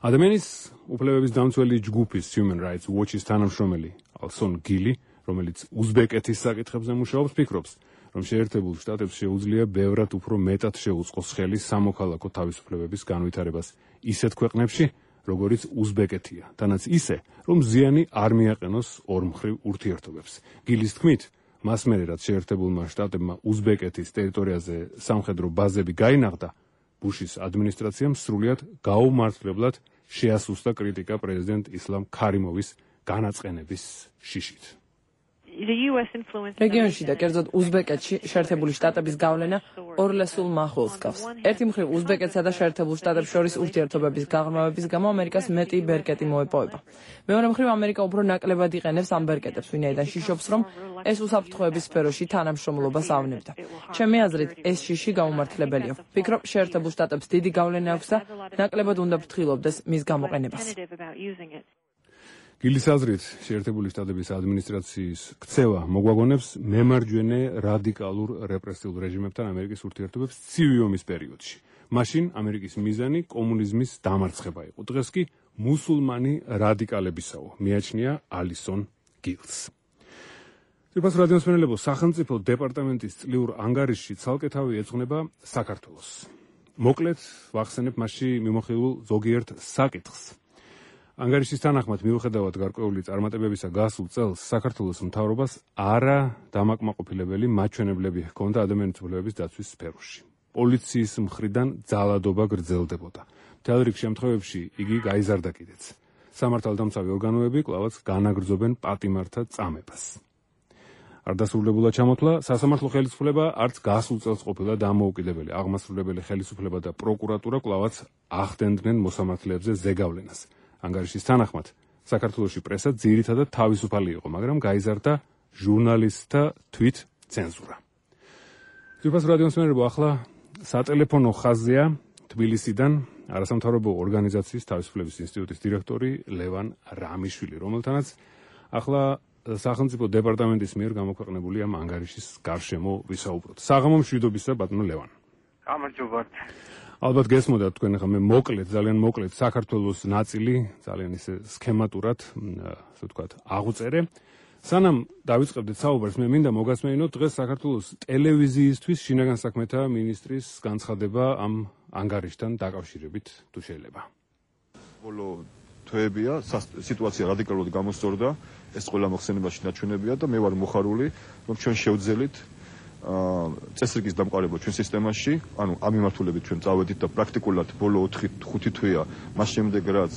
ადამიანის უფლებების დამცველი ჯგუფის Human Rights Watch-ის თანამშრომელი ალსონ გილი, რომელიც უზბეკეთის საკითხებზე მუშაობს, ფიქრობს, რომ შეერთებულ შტატებს შეუძლია ბევრად უფრო მეტად შეუწყოს ხელი სამოქალაქო თავისუფლებების განვითარებას ისეთ ქვეყნებში, როგორიც უზბეკეთია, თანაც ისე, რომ ზიანი არ მიაყენოს ორმხრივ ურთიერთობებს. გილის თქმით, მას მერე რაც შეერთებულმა შტატებმა უზბეკეთის ტერიტორიაზე სამხედრო ბაზები გაინაღდა, ბუშის ადმინისტრაციამ სრულიად გაუმართლებლად შეასუსტა კრიტიკა პრეზიდენტ ისლამ ქარიმოვის განაწყენების შიშით. რეგიონში და კერძოდ უზბეკეთში შეერთებული შტატების გავლენა ორლესულ მახვილს გავს. ერთი მხრივ უზბეკეთსა და შეერთებულ შტატებს შორის ურთიერთობების გაღრმავების გამო ამერიკას მეტი ბერკეტი მოეპოვება. მეორე მხრივ ამერიკა უფრო ნაკლებად იყენებს ამ ბერკეტებს, ვინაიდან შიშობს, რომ ეს უსაფრთხოების სფეროში თანამშრომლობას ავნებდა. ჩემი აზრით, ეს შიში გაუმართლებელია. ვფიქრობ, შეერთებულ შტატებს დიდი გავლენა აქვს და ნაკლებად უნდა ფრთხილობდეს მის გამოყენებას. გილის აზრით, შეერთებული შტატების ადმინისტრაციის ქცევა მოგვაგონებს მემარჯვენე რადიკალურ რეპრესიულ რეჟიმებთან ამერიკის ურთიერთობებს ცივი ომის პერიოდში. მაშინ ამერიკის მიზანი კომუნიზმის დამარცხება იყო. დღეს კი მუსულმანი რადიკალებისაო, მიაჩნია ალისონ გილს. ძვირფას რადიოსმენელებო, სახელმწიფო დეპარტამენტის წლიურ ანგარიშში ცალკე თავი ეძღვნება საქართველოს. მოკლედ ვახსენებ მასში მიმოხილულ ზოგიერთ საკითხს. ანგარიშის თანახმად, მიუხედავად გარკვეული წარმატებებისა გასულ წელს, საქართველოს მთავრობას არა დამაკმაყოფილებელი მაჩვენებლები ჰქონდა ადამიანის უფლებების დაცვის სფეროში. პოლიციის მხრიდან ძალადობა გრძელდებოდა. მთელ რიგ შემთხვევებში იგი გაიზარდა კიდეც. სამართალდამცავი ორგანოები კვლავაც განაგრძობენ პატიმართა წამებას. არ დასრულებულა ჩამოთვლა, სასამართლო ხელისუფლება არც გასულ წელს ყოფილა დამოუკიდებელი. აღმასრულებელი ხელისუფლება და პროკურატურა კვლავაც ახდენდნენ მოსამართლეებზე ზეგავლენას. ანგარიშის თანახმად, საქართველოში პრესა ძირითადად თავისუფალი იყო, მაგრამ გაიზარდა ჟურნალისტთა თვით ცენზურა. ძვირფას რადიოსმენელებო, ახლა სატელეფონო ხაზია თბილისიდან არასამთავრობო ორგანიზაციის თავისუფლების ინსტიტუტის დირექტორი ლევან რამიშვილი, რომელთანაც ახლა სახელმწიფო დეპარტამენტის მიერ გამოქვეყნებული ამ ანგარიშის გარშემო ვისაუბროთ. საღამო მშვიდობისა, ბატონო ლევან. გამარჯობათ. ალბათ გესმოდათ თქვენ ახლა მე მოკლედ, ძალიან მოკლედ საქართველოს ნაწილი, ძალიან ისე სქემატურად, ასე ვთქვათ, აღუწერე. სანამ დავიწყებდეთ საუბარს, მე მინდა მოგასმენინოთ დღეს საქართველოს ტელევიზიისთვის შინაგან საქმეთა მინისტრის განცხადება ამ ანგარიშთან დაკავშირებით, თუ შეიძლება. ბოლო თვეებია, სიტუაცია რადიკალურად გამოსწორდა, ეს ყველა მოხსენებაში ნაჩვენებია და მე ვარ მოხარული, რომ ჩვენ შევძელით წესრიგის დამყარება ჩვენ სისტემაში, ანუ ამ მიმართულებით ჩვენ წავედით და პრაქტიკულად ბოლო ოთხი ხუთი თვეა მას შემდეგ რაც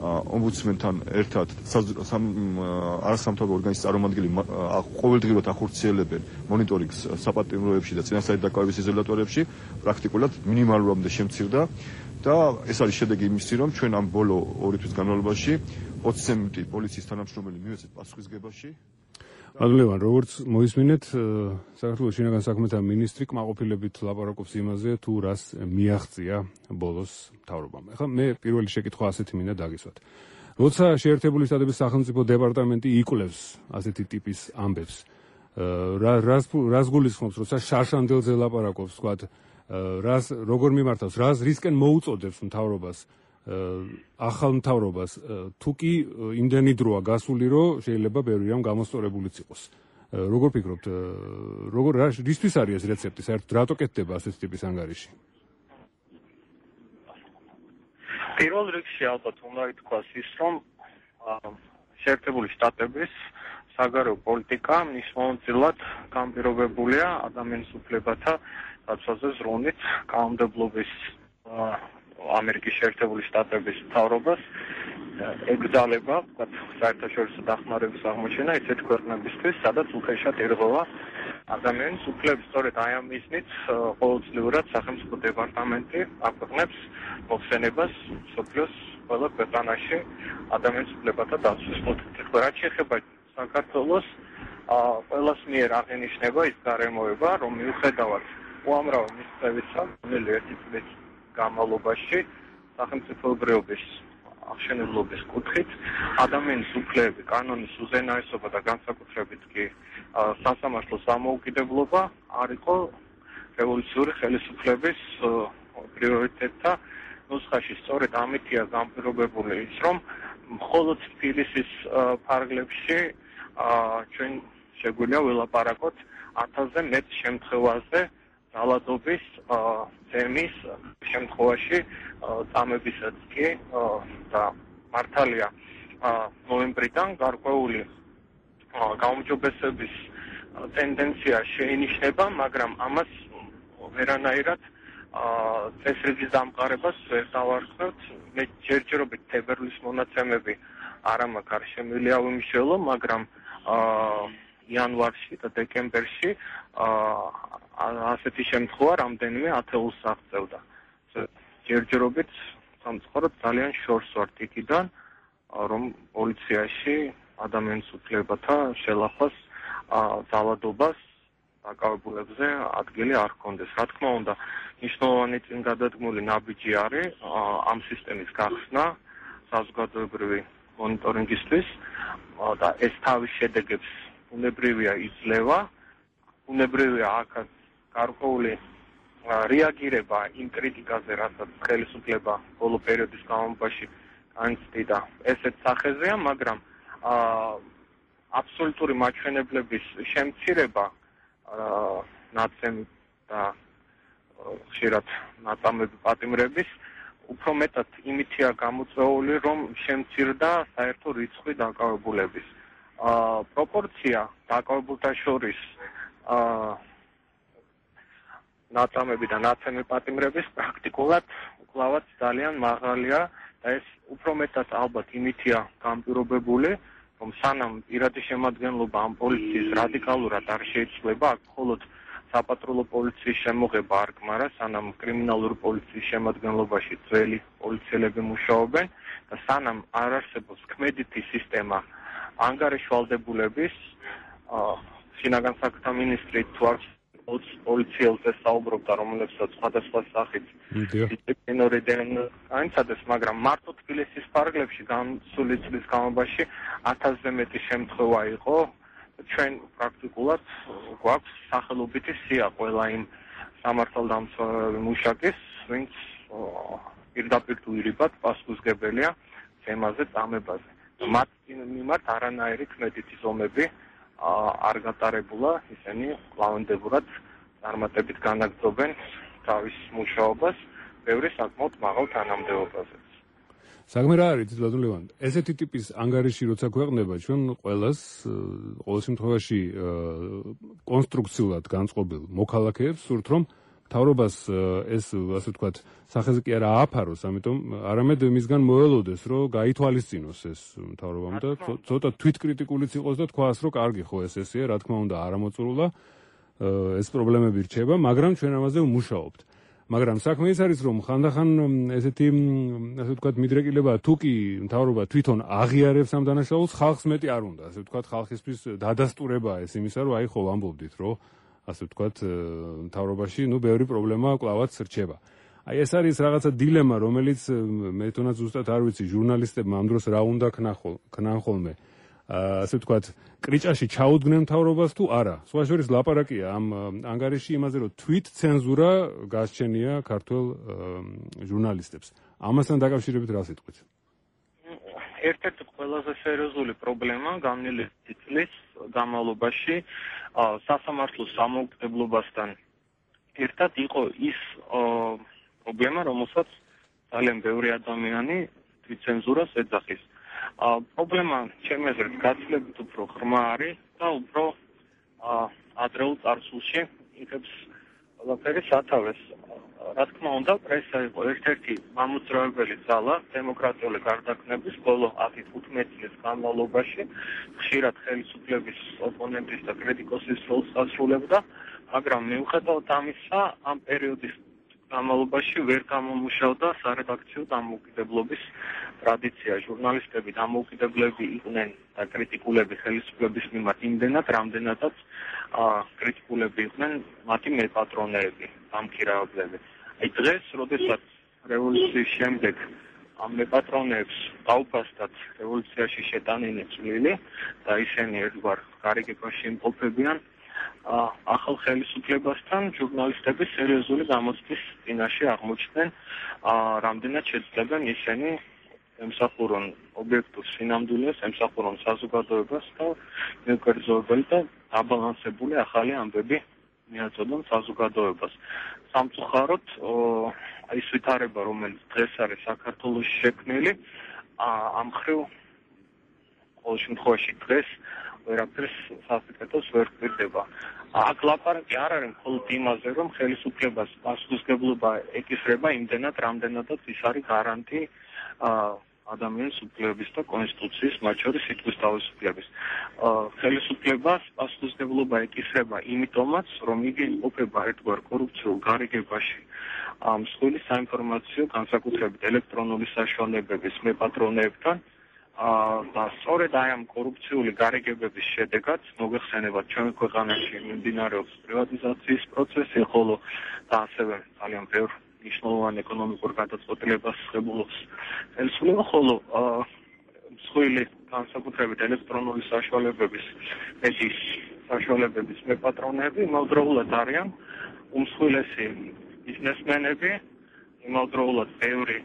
ომბუდსმენთან ერთად არასამთავრობო ორგანიზაციის წარმომადგენლები ყოველდღიურად ახორციელებენ მონიტორინგს საპატიმროებში და წინასწარი დაკავების იზოლატორებში, პრაქტიკულად მინიმალურამდე შემცირდა და ეს არის შედეგი იმისი, რომ ჩვენ ამ ბოლო ორი თვის განმავლობაში ოცი პოლიციის თანამშრომელი მივეცეთ პასუხისგებაში. მადლოვან, როგორც მოისმინეთ, საქართველოს შინაგან საქმეთა მინისტრი კმაყოფილებით ლაპარაკობს იმაზე, თუ რას მიაღწია ბოლოს მთავრობამ. ახლა მე პირველი შეკითხვა ასეთი მინდა დაგისვათ. როცა შეერთებული შტატების სახელმწიფო დეპარტამენტი იკვლევს ასეთი ტიპის ამბებს, რას რას გულისხმობს, როცა შარშანდელზე ლაპარაკობს, ვთქვათ, რას როგორ მიმართავს, რას რისკენ მოუწოდებს მთავრობას ახალ მთავრობას, თუ კი იმდენი დროა გასული, რომ შეიძლება ბევრი რამ გამოსწორებულიც იყოს. როგორ ფიქრობთ, როგორ რისთვის არის ეს რეცეპტი, საერთოდ რატო კეთდება ასეთი ტიპის ანგარიში? პირველ რიგში ალბათ უნდა ითქვას ის, რომ შეერთებული შტატების საგარეო პოლიტიკა მნიშვნელოვნად განპირობებულია ადამიანის უფლებათა დაცვაზე ზრუნვით კანონმდებლობის ამერიკის შეერთებული შტატების მთავრობას ეკრძალება, ვთქვათ, საერთაშორისო დახმარების აღმოჩენა ისეთ ქვეყნებისთვის, სადაც უხეშად ერღვევა ადამიანის უფლებს. სწორედ აი ამ მიზნით ყოველწლიურად სახელმწიფო დეპარტამენტი აქვეყნებს მოხსენებას მსოფლიოს ყველა ქვეყანაში ადამიანის უფლებათა დაცვის საკითხით. რაც შეეხება საქართველოს, ყველას მიერ აღინიშნება ის გარემოება, რომ მიუხედავად უამრავი მისწრებისა, ნელი ერთი წლის განმავლობაში სახელმწიფოებრიობის აღშენებლობის კუთხით ადამიანის უფლებები, კანონის უზენაესობა და განსაკუთრებით კი სასამართლო სამოუკიდებლობა არ იყო რევოლუციური ხელისუფლების პრიორიტეტთა ნუსხაში. სწორედ ამითია განპირობებული ის, რომ მხოლოდ თბილისის ფარგლებში ჩვენ შეგვიძლია ველაპარაკოთ ათასზე მეტ შემთხვევაზე ძალადობის თემის შემთხვევაში წამებისაც კი და მართალია ნოემბრიდან გარკვეული გაუმჯობესების ტენდენცია შეინიშნება, მაგრამ ამას ვერანაირად წესრიგის დამყარებას ვერ დავარქმევთ. მე ჯერჯერობით თებერვლის მონაცემები არ მაქვს არ შემიძლია ვიმსჯელო, მაგრამ იანვარში და დეკემბერში ასეთი შემთხვევა რამდენიმე ათეულს აღწევდა. ჯერჯერობით სამწუხაროდ ძალიან შორს ვართ იქიდან, რომ პოლიციაში ადამიანის უფლებათა შელახვას ძალადობას დაკავებულებზე ადგილი არ ჰქონდეს. რა თქმა უნდა, მნიშვნელოვანი წინგადადგმული ნაბიჯი არის ამ სისტემის გახსნა საზოგადოებრივი მონიტორინგისთვის და ეს თავის შედეგებს უნებრივია იძლევა, უნებრივია აქაც გარკვეული რეაგირება იმ კრიტიკაზე, რასაც ხელისუფლება ბოლო პერიოდის განმავლობაში განიცდიდა ესეთ სახეზეა, მაგრამ აბსოლუტური მაჩვენებლების შემცირება ნაცემი და ხშირად ნაწამები პატიმრების უფრო მეტად იმითია გამოწვეული, რომ შემცირდა საერთო რიცხვი დაკავებულების. პროპორცია დაკავებულთა შორის ნაწამები და ნაცემი პატიმრების პრაქტიკულად უკვლავად ძალიან მაღალია და ეს უფრო მეტად ალბათ იმითია განპირობებული, რომ სანამ პირადი შემადგენლობა ამ პოლიციის რადიკალურად არ შეიცვლება, აქ მხოლოდ საპატრულო პოლიციის შემოღება არ გმარა, სანამ კრიმინალური პოლიციის შემადგენლობაში ძველი პოლიციელები მუშაობენ და სანამ არ არსებობს ქმედითი სისტემა ანგარიშვალდებულების, შინაგან საქმეთა მინისტრი თუ არ პოლიციელზე საუბრობდა, რომელებსაც სხვადასხვა სახით დისციპლინური განიცადეს, მაგრამ მარტო თბილისის ფარგლებში განსული წლის განმავლობაში ათასზე მეტი შემთხვევა იყო. ჩვენ პრაქტიკულად გვაქვს სახელობითი სია ყველა იმ სამართალდამცავი მუშაკის, ვინც პირდაპირ თუ ირიბად პასუხისმგებელია თემაზე წამებაზე. მათ მიმართ არანაირი ქმედითი ზომები არ გატარებულა, ისინი კვლავინდებურად წარმატებით განაგრძობენ თავის მუშაობას ბევრი საკმაოდ მაღალ თანამდებობაზე. საქმე რა არის ბატონ ლევან? ესეთი ტიპის ანგარიში როცა ქვეყნება ჩვენ ყველას ყოველ შემთხვევაში კონსტრუქციულად განწყობილ მოქალაქეებს სურთ რომ მთავრობას ეს ასე ვთქვათ სახეზე კი არა ააფაროს, ამიტომ არამედ მისგან მოელოდეს რომ გაითვალისწინოს ეს მთავრობამ და ცოტა თვითკრიტიკულიც იყოს და თქვას რომ კარგი ხო ეს ესეა, რა თქმა უნდა არამოწურულა ეს პრობლემები რჩება, მაგრამ ჩვენ ამაზე ვმუშაობთ. მაგრამ საქმე ის არის რომ ხანდახან ესეთი ასე ვთქვათ მიდრეკილება თუ კი მთავრობა თვითონ აღიარებს ამ დანაშაულს, ხალხს მეტი არ უნდა, ასე ვთქვათ ხალხისთვის დადასტურებაა ეს იმისა რომ აი ხო ვამბობდით რომ ასე ვთქვათ მთავრობაში ნუ ბევრი პრობლემა კლავაც რჩება. აი ეს არის რაღაცა დილემა, რომელიც მე თუნდაც ზუსტად არ ვიცი ჟურნალისტებმა ამ დროს რა უნდა ქნან ხოლმე. ასე ვთქვათ, კრიჭაში ჩაუდგნენ მთავრობას თუ არა. სხვა შორის ლაპარაკია ამ ანგარიში იმაზე, რომ თვით ცენზურა გასჩენია ქართველ ჟურნალისტებს. ამასთან დაკავშირებით რა სიტყვით? ერთ-ერთი ყველაზე სერიოზული პრობლემა გამნელი წლის განმავლობაში სასამართლოს დამოუკიდებლობასთან ერთად იყო ის პრობლემა, რომელსაც ძალიან ბევრი ადამიანი თვითცენზურას ეძახის. პრობლემა ჩემი აზრით გაცილებით უფრო ღრმა არის და უფრო ადრეულ წარსულში იქებს ყველაფერი სათავეს. რა თქმა უნდა, პრესა იყო ერთ-ერთი მამოძრავებელი ძალა დემოკრატიული გარდაქმნების ბოლო ათი თხუთმეტი წლის განმავლობაში ხშირად ხელისუფლების ოპონენტის და კრიტიკოსის როლს ასრულებდა, მაგრამ მიუხედავად ამისა, ამ პერიოდის განმავლობაში ვერ გამომუშავდა სარედაქციო დამოუკიდებლობის ტრადიცია. ჟურნალისტები დამოუკიდებლები იყვნენ და კრიტიკულები ხელისუფლების მიმართ იმდენად, რამდენადაც კრიტიკულები იყვნენ მათი მეპატრონეები, დამქირავებლები. აი დღეს, როდესაც რევოლუციის შემდეგ ამ მეპატრონეებს დაუფასდათ რევოლუციაში შეტანილი წვლილი და ისინი ერთგვარ გარიგებაში იმყოფებიან ახალ ხელისუფლებასთან, ჟურნალისტები სერიოზული გამოცდის წინაშე აღმოჩნდნენ, რამდენად შეძლებენ ისინი ემსახურონ ობიექტურ სინამდვილეს, ემსახურონ საზოგადოებას და მეკერძოებელი და დაბალანსებული ახალი ამბები მიაწოდონ საზოგადოებას. სამწუხაროდ, ის ვითარება, რომელიც დღეს არის საქართველოში შექმნილი, ამ მხრივ ყოველ შემთხვევაში დღეს ვერაფერს სასიკეთოს ვერ კვირდება. აქ ლაპარაკი არ არის მხოლოდ იმაზე, რომ ხელისუფლებას პასუხისმგებლობა ეკისრება იმდენად, რამდენადაც ის არის გარანტი ადამიანის უფლებების და კონსტიტუციის, მათ შორის სიტყვის თავისუფლების. ხელისუფლებას პასუხისმგებლობა ეკისრება იმიტომაც, რომ იგი იმყოფება ერთგვარ კორუფციულ გარიგებაში. მსხვილი საინფორმაციო განსაკუთრებით ელექტრონული საშუალებების მეპატრონეებთან და სწორედ აი ამ კორუფციული გარიგებების შედეგად მოგეხსენებათ ჩვენი ქვეყანაში მიმდინარეობს პრივატიზაციის პროცესი, ხოლო და ასევე ძალიან ბევრ მნიშვნელოვან ეკონომიკურ გადაწყვეტილებას ღებულობს ხელისუფლება, ხოლო მსხვილი განსაკუთრებით ელექტრონული საშუალებების მედიის საშუალებების მეპატრონეები იმავდროულად არიან უმსხვილესი ბიზნესმენები, იმავდროულად ბევრი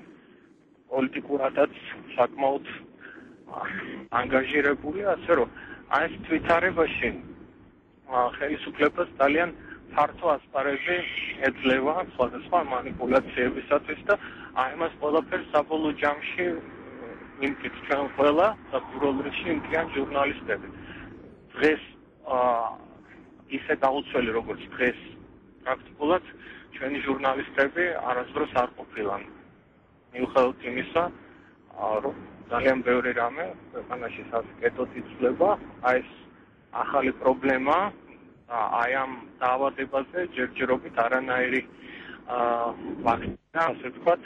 პოლიტიკურადაც საკმაოდ ანგაჟირებული, ასე რომ აი ეს თვითარებაში ხელისუფლებას ძალიან ფართო ასპარეზი ეძლევა სხვადასხვა მანიპულაციებისათვის და აი მას ყველაფერს საბოლოო ჯამში იმკით ჩვენ ყველა და პირველ რიგში იმკიან ჟურნალისტები. დღეს ისე დაუცველი როგორც დღეს პრაქტიკულად ჩვენი ჟურნალისტები არასდროს არ ყოფილან. მიუხედავად იმისა, რომ ძალიან ბევრი რამე ქვეყანაში სასიკეთოდ იცვლება, აი ეს ახალი პრობლემა აი ამ დაავადებაზე ჯერჯერობით არანაირი ფაქტია, ასე ვთქვათ,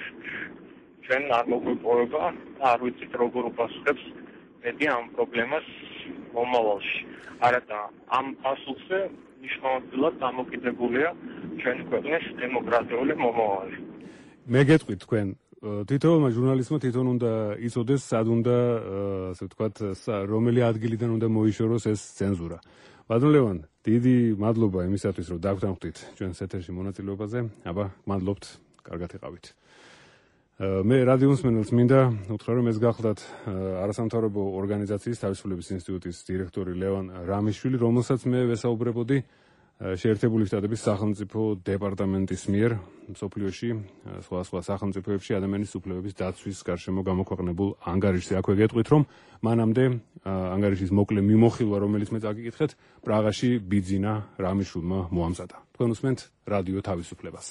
ჩვენ არ მოგვიპოვება და არ ვიცით როგორ უპასუხებს მედია ამ პრობლემას მომავალში. არადა ამ პასუხზე მნიშვნელოვნად დამოკიდებულია ჩვენი ქვეყნის დემოკრატიული მომავალი. მე გეტყვი თქვენ თითოეულმა ჟურნალისტმა თვითონ უნდა იცოდეს, სად უნდა, ასე ვთქვათ, რომელი ადგილიდან უნდა მოიშოროს ეს ცენზურა. ბატონ ლევან, დიდი მადლობა იმისათვის, რომ დაგვთანხმდით ჩვენს ეთერში მონაწილეობაზე. აბა, გმადლობთ, კარგად იყავით. მე რადიო მსმენელს მინდა უთხრა, რომ ეს გახლდათ არასამთავრობო ორგანიზაციის თავისუფლების ინსტიტუტის დირექტორი ლევან რამიშვილი, რომელსაც მე ვესაუბრებოდი შეერთებული შტატების სახელმწიფო დეპარტამენტის მიერ მსოფლიოში სხვა სხვა სახელმწიფოებში ადამიანის უფლებების დაცვის გარშემო გამოქვეყნებულ ანგარიშზე. აქვე გეტყვით, რომ მანამდე ანგარიშის მოკლე მიმოხილვა, რომელიც მე წაგიკითხეთ, პრაღაში ბიძინა რამიშვილმა მოამზადა. თქვენ უსმენთ რადიო თავისუფლებას.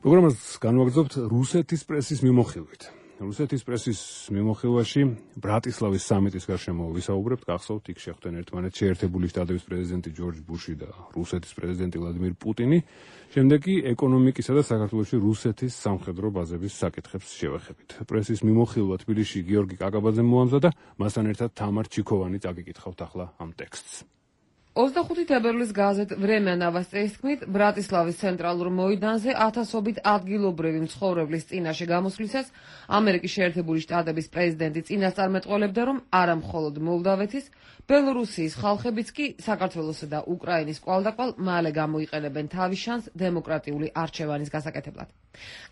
პროგრამას განვაგრძობთ რუსეთის პრესის მიმოხილვით. რუსეთის პრესის მიმოხილვაში ბრატისლავის სამიტის გარშემო ვისაუბრებთ. გახსოვთ, იქ შეხვდნენ ერთმანეთს შეერთებული შტატების პრეზიდენტი ჯორჯ ბუში და რუსეთის პრეზიდენტი ვლადიმირ პუტინი. შემდეგ კი ეკონომიკისა და საქართველოში რუსეთის სამხედრო ბაზების საკითხებს შევეხებით. პრესის მიმოხილვა თბილისში გიორგი კაკაბაძემ მოამზადა, მასთან ერთად თამარ ჩიქოვანი წაგიკითხავთ ახლა ამ ტექსტს. ოცდახუთი თებერვლის გაზეთ „ვრემია ნოვოსტიის“ თქმით, ბრატისლავის ცენტრალურ მოედანზე ათასობით ადგილობრივი მცხოვრებლის წინაშე გამოსვლისას ამერიკის შეერთებული შტატების პრეზიდენტი წინასწარმეტყველებდა, რომ არა მხოლოდ მოლდავეთის, ბელორუსიის ხალხებიც კი საქართველოსა და უკრაინის კვალდაკვალ მალე გამოიყენებენ თავის შანსს დემოკრატიული არჩევანის გასაკეთებლად.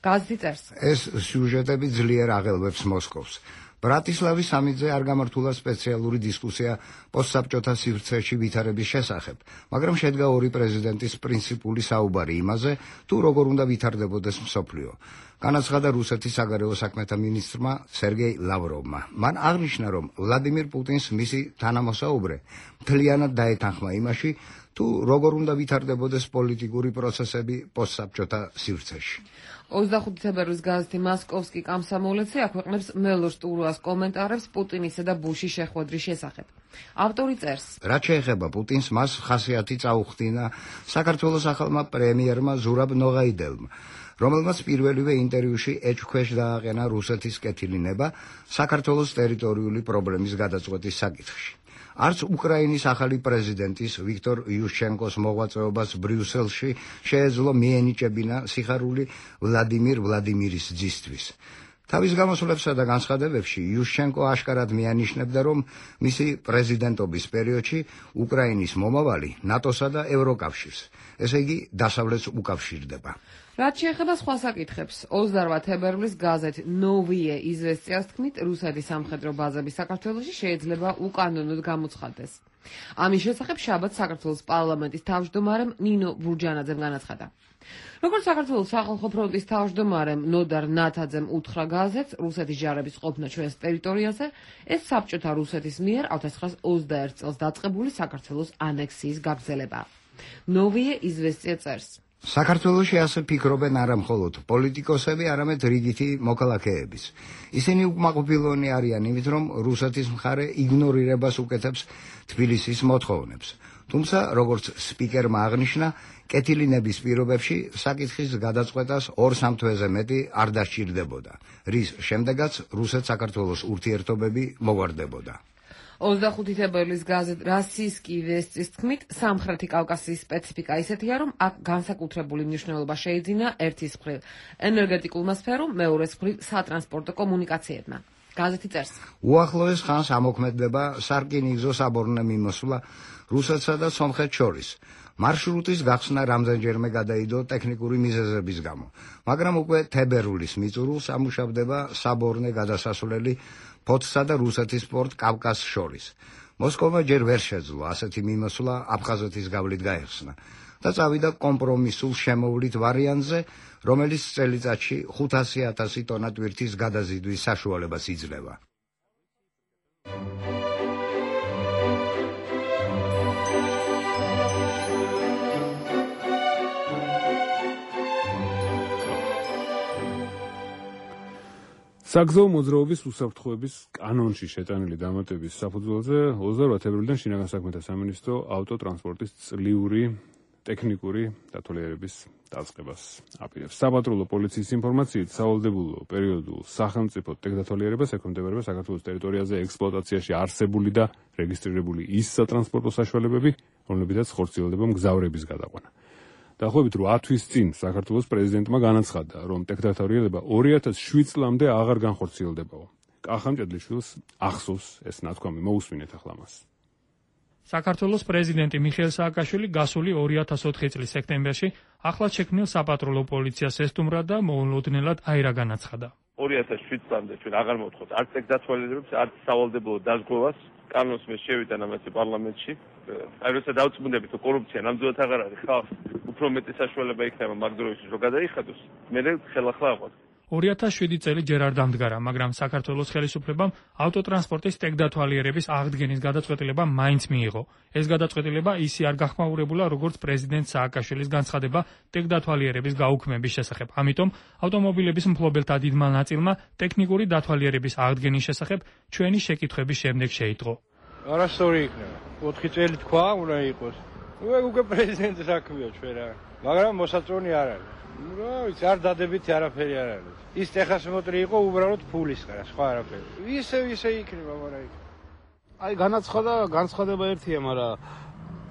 გაზეთი წერს: ეს სიუჟეტები ძლიერ აღელვებს მოსკოვს. ბრატისლავის სამიტზე არ გამართულა სპეციალური დისკუსია პოსტსაბჭოთა სივრცეში ვითარების შესახებ, მაგრამ შედგა ორი პრეზიდენტის პრინციპული საუბარი იმაზე, თუ როგორ უნდა ვითარდებოდეს მსოფლიო. განაცხადა რუსეთის საგარეო საქმეთა მინისტრმა სერგეი ლავროვმა. მან აღნიშნა, რომ ვლადიმირ პუტინს მისი თანამოსაუბრე მთლიანად დაეთანხმა იმაში, თუ როგორ უნდა ვითარდებოდეს პოლიტიკური პროცესები პოსტსაბჭოთა სივრცეში. ოცდახუთი თებერვლის გაზეთი „მოსკოვსკი კომსომოლეცი“ აქვეყნებს მელორ სტურუას კომენტარებს პუტინისა და ბუშის შეხვედრის შესახებ. ავტორი წერს: რაც შეეხება პუტინს, მას ხასიათი წაუხდინა საქართველოს ახალმა პრემიერმა ზურაბ ნოღაიდელმა, რომელმაც პირველივე ინტერვიუში ეჭვქვეშ დააყენა რუსეთის კეთილინება საქართველოს ტერიტორიული პრობლემის გადაწყვეტის საკითხში. არც უკრაინის ახალი პრეზიდენტის ვიქტორ იუშჩენკოს მოღვაწეობას ბრიუსელში შეეძლო მიენიჭებინა სიხარული ვლადიმირ ვლადიმირის ძისთვის. თავის გამოსვლებსა და განცხადებებში იუშჩენკო აშკარად მიანიშნებდა, რომ მისი პრეზიდენტობის პერიოდში უკრაინის მომავალი ნატოსა და ევროკავშირს, ესე იგი დასავლეთს უკავშირდება. რაც შეეხება სხვა საკითხებს, ოცდაორ თებერვლის გაზეთ „ნოვიე იზვესტიას“ თქმით, რუსეთის სამხედრო ბაზები საქართველოში შეიძლება უკანონოდ გამოცხადდეს. ამის შესახებ შაბათს საქართველოს პარლამენტის თავმჯდომარემ ნინო ბურჯანაძემ განაცხადა. როგორც საქართველოს სახალხო ფრონტის თავმჯდომარემ ნოდარ ნათაძემ უთხრა გაზეთს, რუსეთის ჯარების ყოფნა ჩვენს ტერიტორიაზე ეს საბჭოთა რუსეთის მიერ ალ ცხრაას ოცდაერთ წელს დაწყებული საქართველოს ანექსიის გაგრძელებაა. ნოვიე იზვესტია წერს: საქართველოში ასე ფიქრობენ არა მხოლოდ პოლიტიკოსები, არამედ რიგითი მოქალაქეებიც. ისინი უკმაყოფილონი არიან იმით, რომ რუსეთის მხარე იგნორირებას უკეთებს თბილისის მოთხოვნებს. თუმცა, როგორც სპიკერმა აღნიშნა, კეთილინების პირობებში საკითხის გადაწყვეტას ორ-სამ თვეზე მეტი არ დასჭირდებოდა, რის შემდეგაც რუსეთ-საქართველოს ურთიერთობები მოგვარდებოდა. ოცდახუთი თებერვლის გაზეთ „რასიისკი ვესტის“ თქმით, სამხრეთი კავკასიის სპეციფიკა ისეთია, რომ აქ განსაკუთრებული მნიშვნელობა შეიძინა ერთის მხრივ ენერგეტიკულმა სფერომ, მეორეს მხრივ სატრანსპორტო კომუნიკაციებმა. გაზეთი წერს: უახლოეს ხანს ამოქმედდება სარკინიგზო საბორნე მიმოსვლა რუსეთსა და სომხეთს შორის. მარშრუტის გახსნა რამდენჯერმე გადაიდო ტექნიკური მიზეზების გამო, მაგრამ უკვე თებერვლის მიწურულს ამუშავდება საბორნე გადასასვლელი ფოთსა და რუსეთის პორტ კავკასს შორის. მოსკოვმა ჯერ ვერ შეძლო ასეთი მიმოსვლა აფხაზეთის გავლით გაეხსნა და წავიდა კომპრომისულ შემოვლით ვარიანტზე, რომელიც წელიწადში ხუთასი ათასი ტონა ტვირთის გადაზიდვის საშუალებას იძლევა. საგზაო მოძრაობის უსაფრთხოების კანონში შეტანილი დამატების საფუძველზე ოცდაორ თებერვლიდან შინაგან საქმეთა სამინისტრო ავტოტრანსპორტის წლიური ტექნიკური დათვალიერების დაწყებას აპირებს. საპატრულო პოლიციის ინფორმაციით, სავალდებულო პერიოდულ სახელმწიფო ტექდათვალიერებას ექვემდებარება საქართველოს ტერიტორიაზე ექსპლუატაციაში არსებული და რეგისტრირებული ის სატრანსპორტო საშუალებები, რომლებითაც ხორციელდება მგზავრების გადაყვანა. დაახლოებით რვა თვის წინ საქართველოს პრეზიდენტმა განაცხადა, რომ ტექდათვალიერება ორი ათას შვიდ წლამდე აღარ განხორციელდებაო. კახა მჭედლიშვილს ახსოვს ეს ნათქვამი, მოусმინეთ ახლა მას. საქართველოს პრეზიდენტი მიხეილ სააკაშვილი გასული ორი ათას ოთხი წლის სექტემბერში ახლად შექმნილ საპატრულო პოლიციას ესტუმრა და მოულოდნელად აირა განაცხადა. ორი ათას შვიდ წლამდე ჩვენ აღარ მოვთხოვთ არც ეგ დათვალიერებს, არც სავალდებულო დაზღვევას. კანონს მე შევიდა ამასე პარლამენტში. აი როცა დავწმუნდებით, რომ კორუფცია ნამდვილად აღარ არის, ხალხს უფრო მეტი საშუალება იქნება მაგ დროისთვის რომ გადაიხადოს. მე ხელახლა აყვარ. ორი ათას შვიდი წელი ჯერ არ დამდგარა, მაგრამ საქართველოს ხელისუფლებამ ავტოტრანსპორტის ტექდათვალიერების აღდგენის გადაწყვეტილება მაინც მიიღო. ეს გადაწყვეტილება ისე არ გახმაურებულა, როგორც პრეზიდენტ სააკაშვილის განცხადება ტექდათვალიერების გაუქმების შესახებ. ამიტომ ავტომობილების მფლობელთა დიდმა ნაწილმა ტექნიკური დათვალიერების აღდგენის შესახებ ჩვენი შეკითხვების შემდეგ შეიტყო. არასწორი იქნება. ოთხი წელი თქვა, უნდა იყოს. ნუ ეგ უკვე პრეზიდენტის საქმეა ჩვენ რა. მაგრამ მოსაწონი არ არის. რა ვიცი, არ დადებითი არაფერი არ არის. ის ტეხასმოტრი იყო უბრალოდ ფულისგან, სხვა არაფერი. ისე ისე იქნება, მაგრამ იქ. აი განაცხადა, განცხადება ერთია, მაგრამ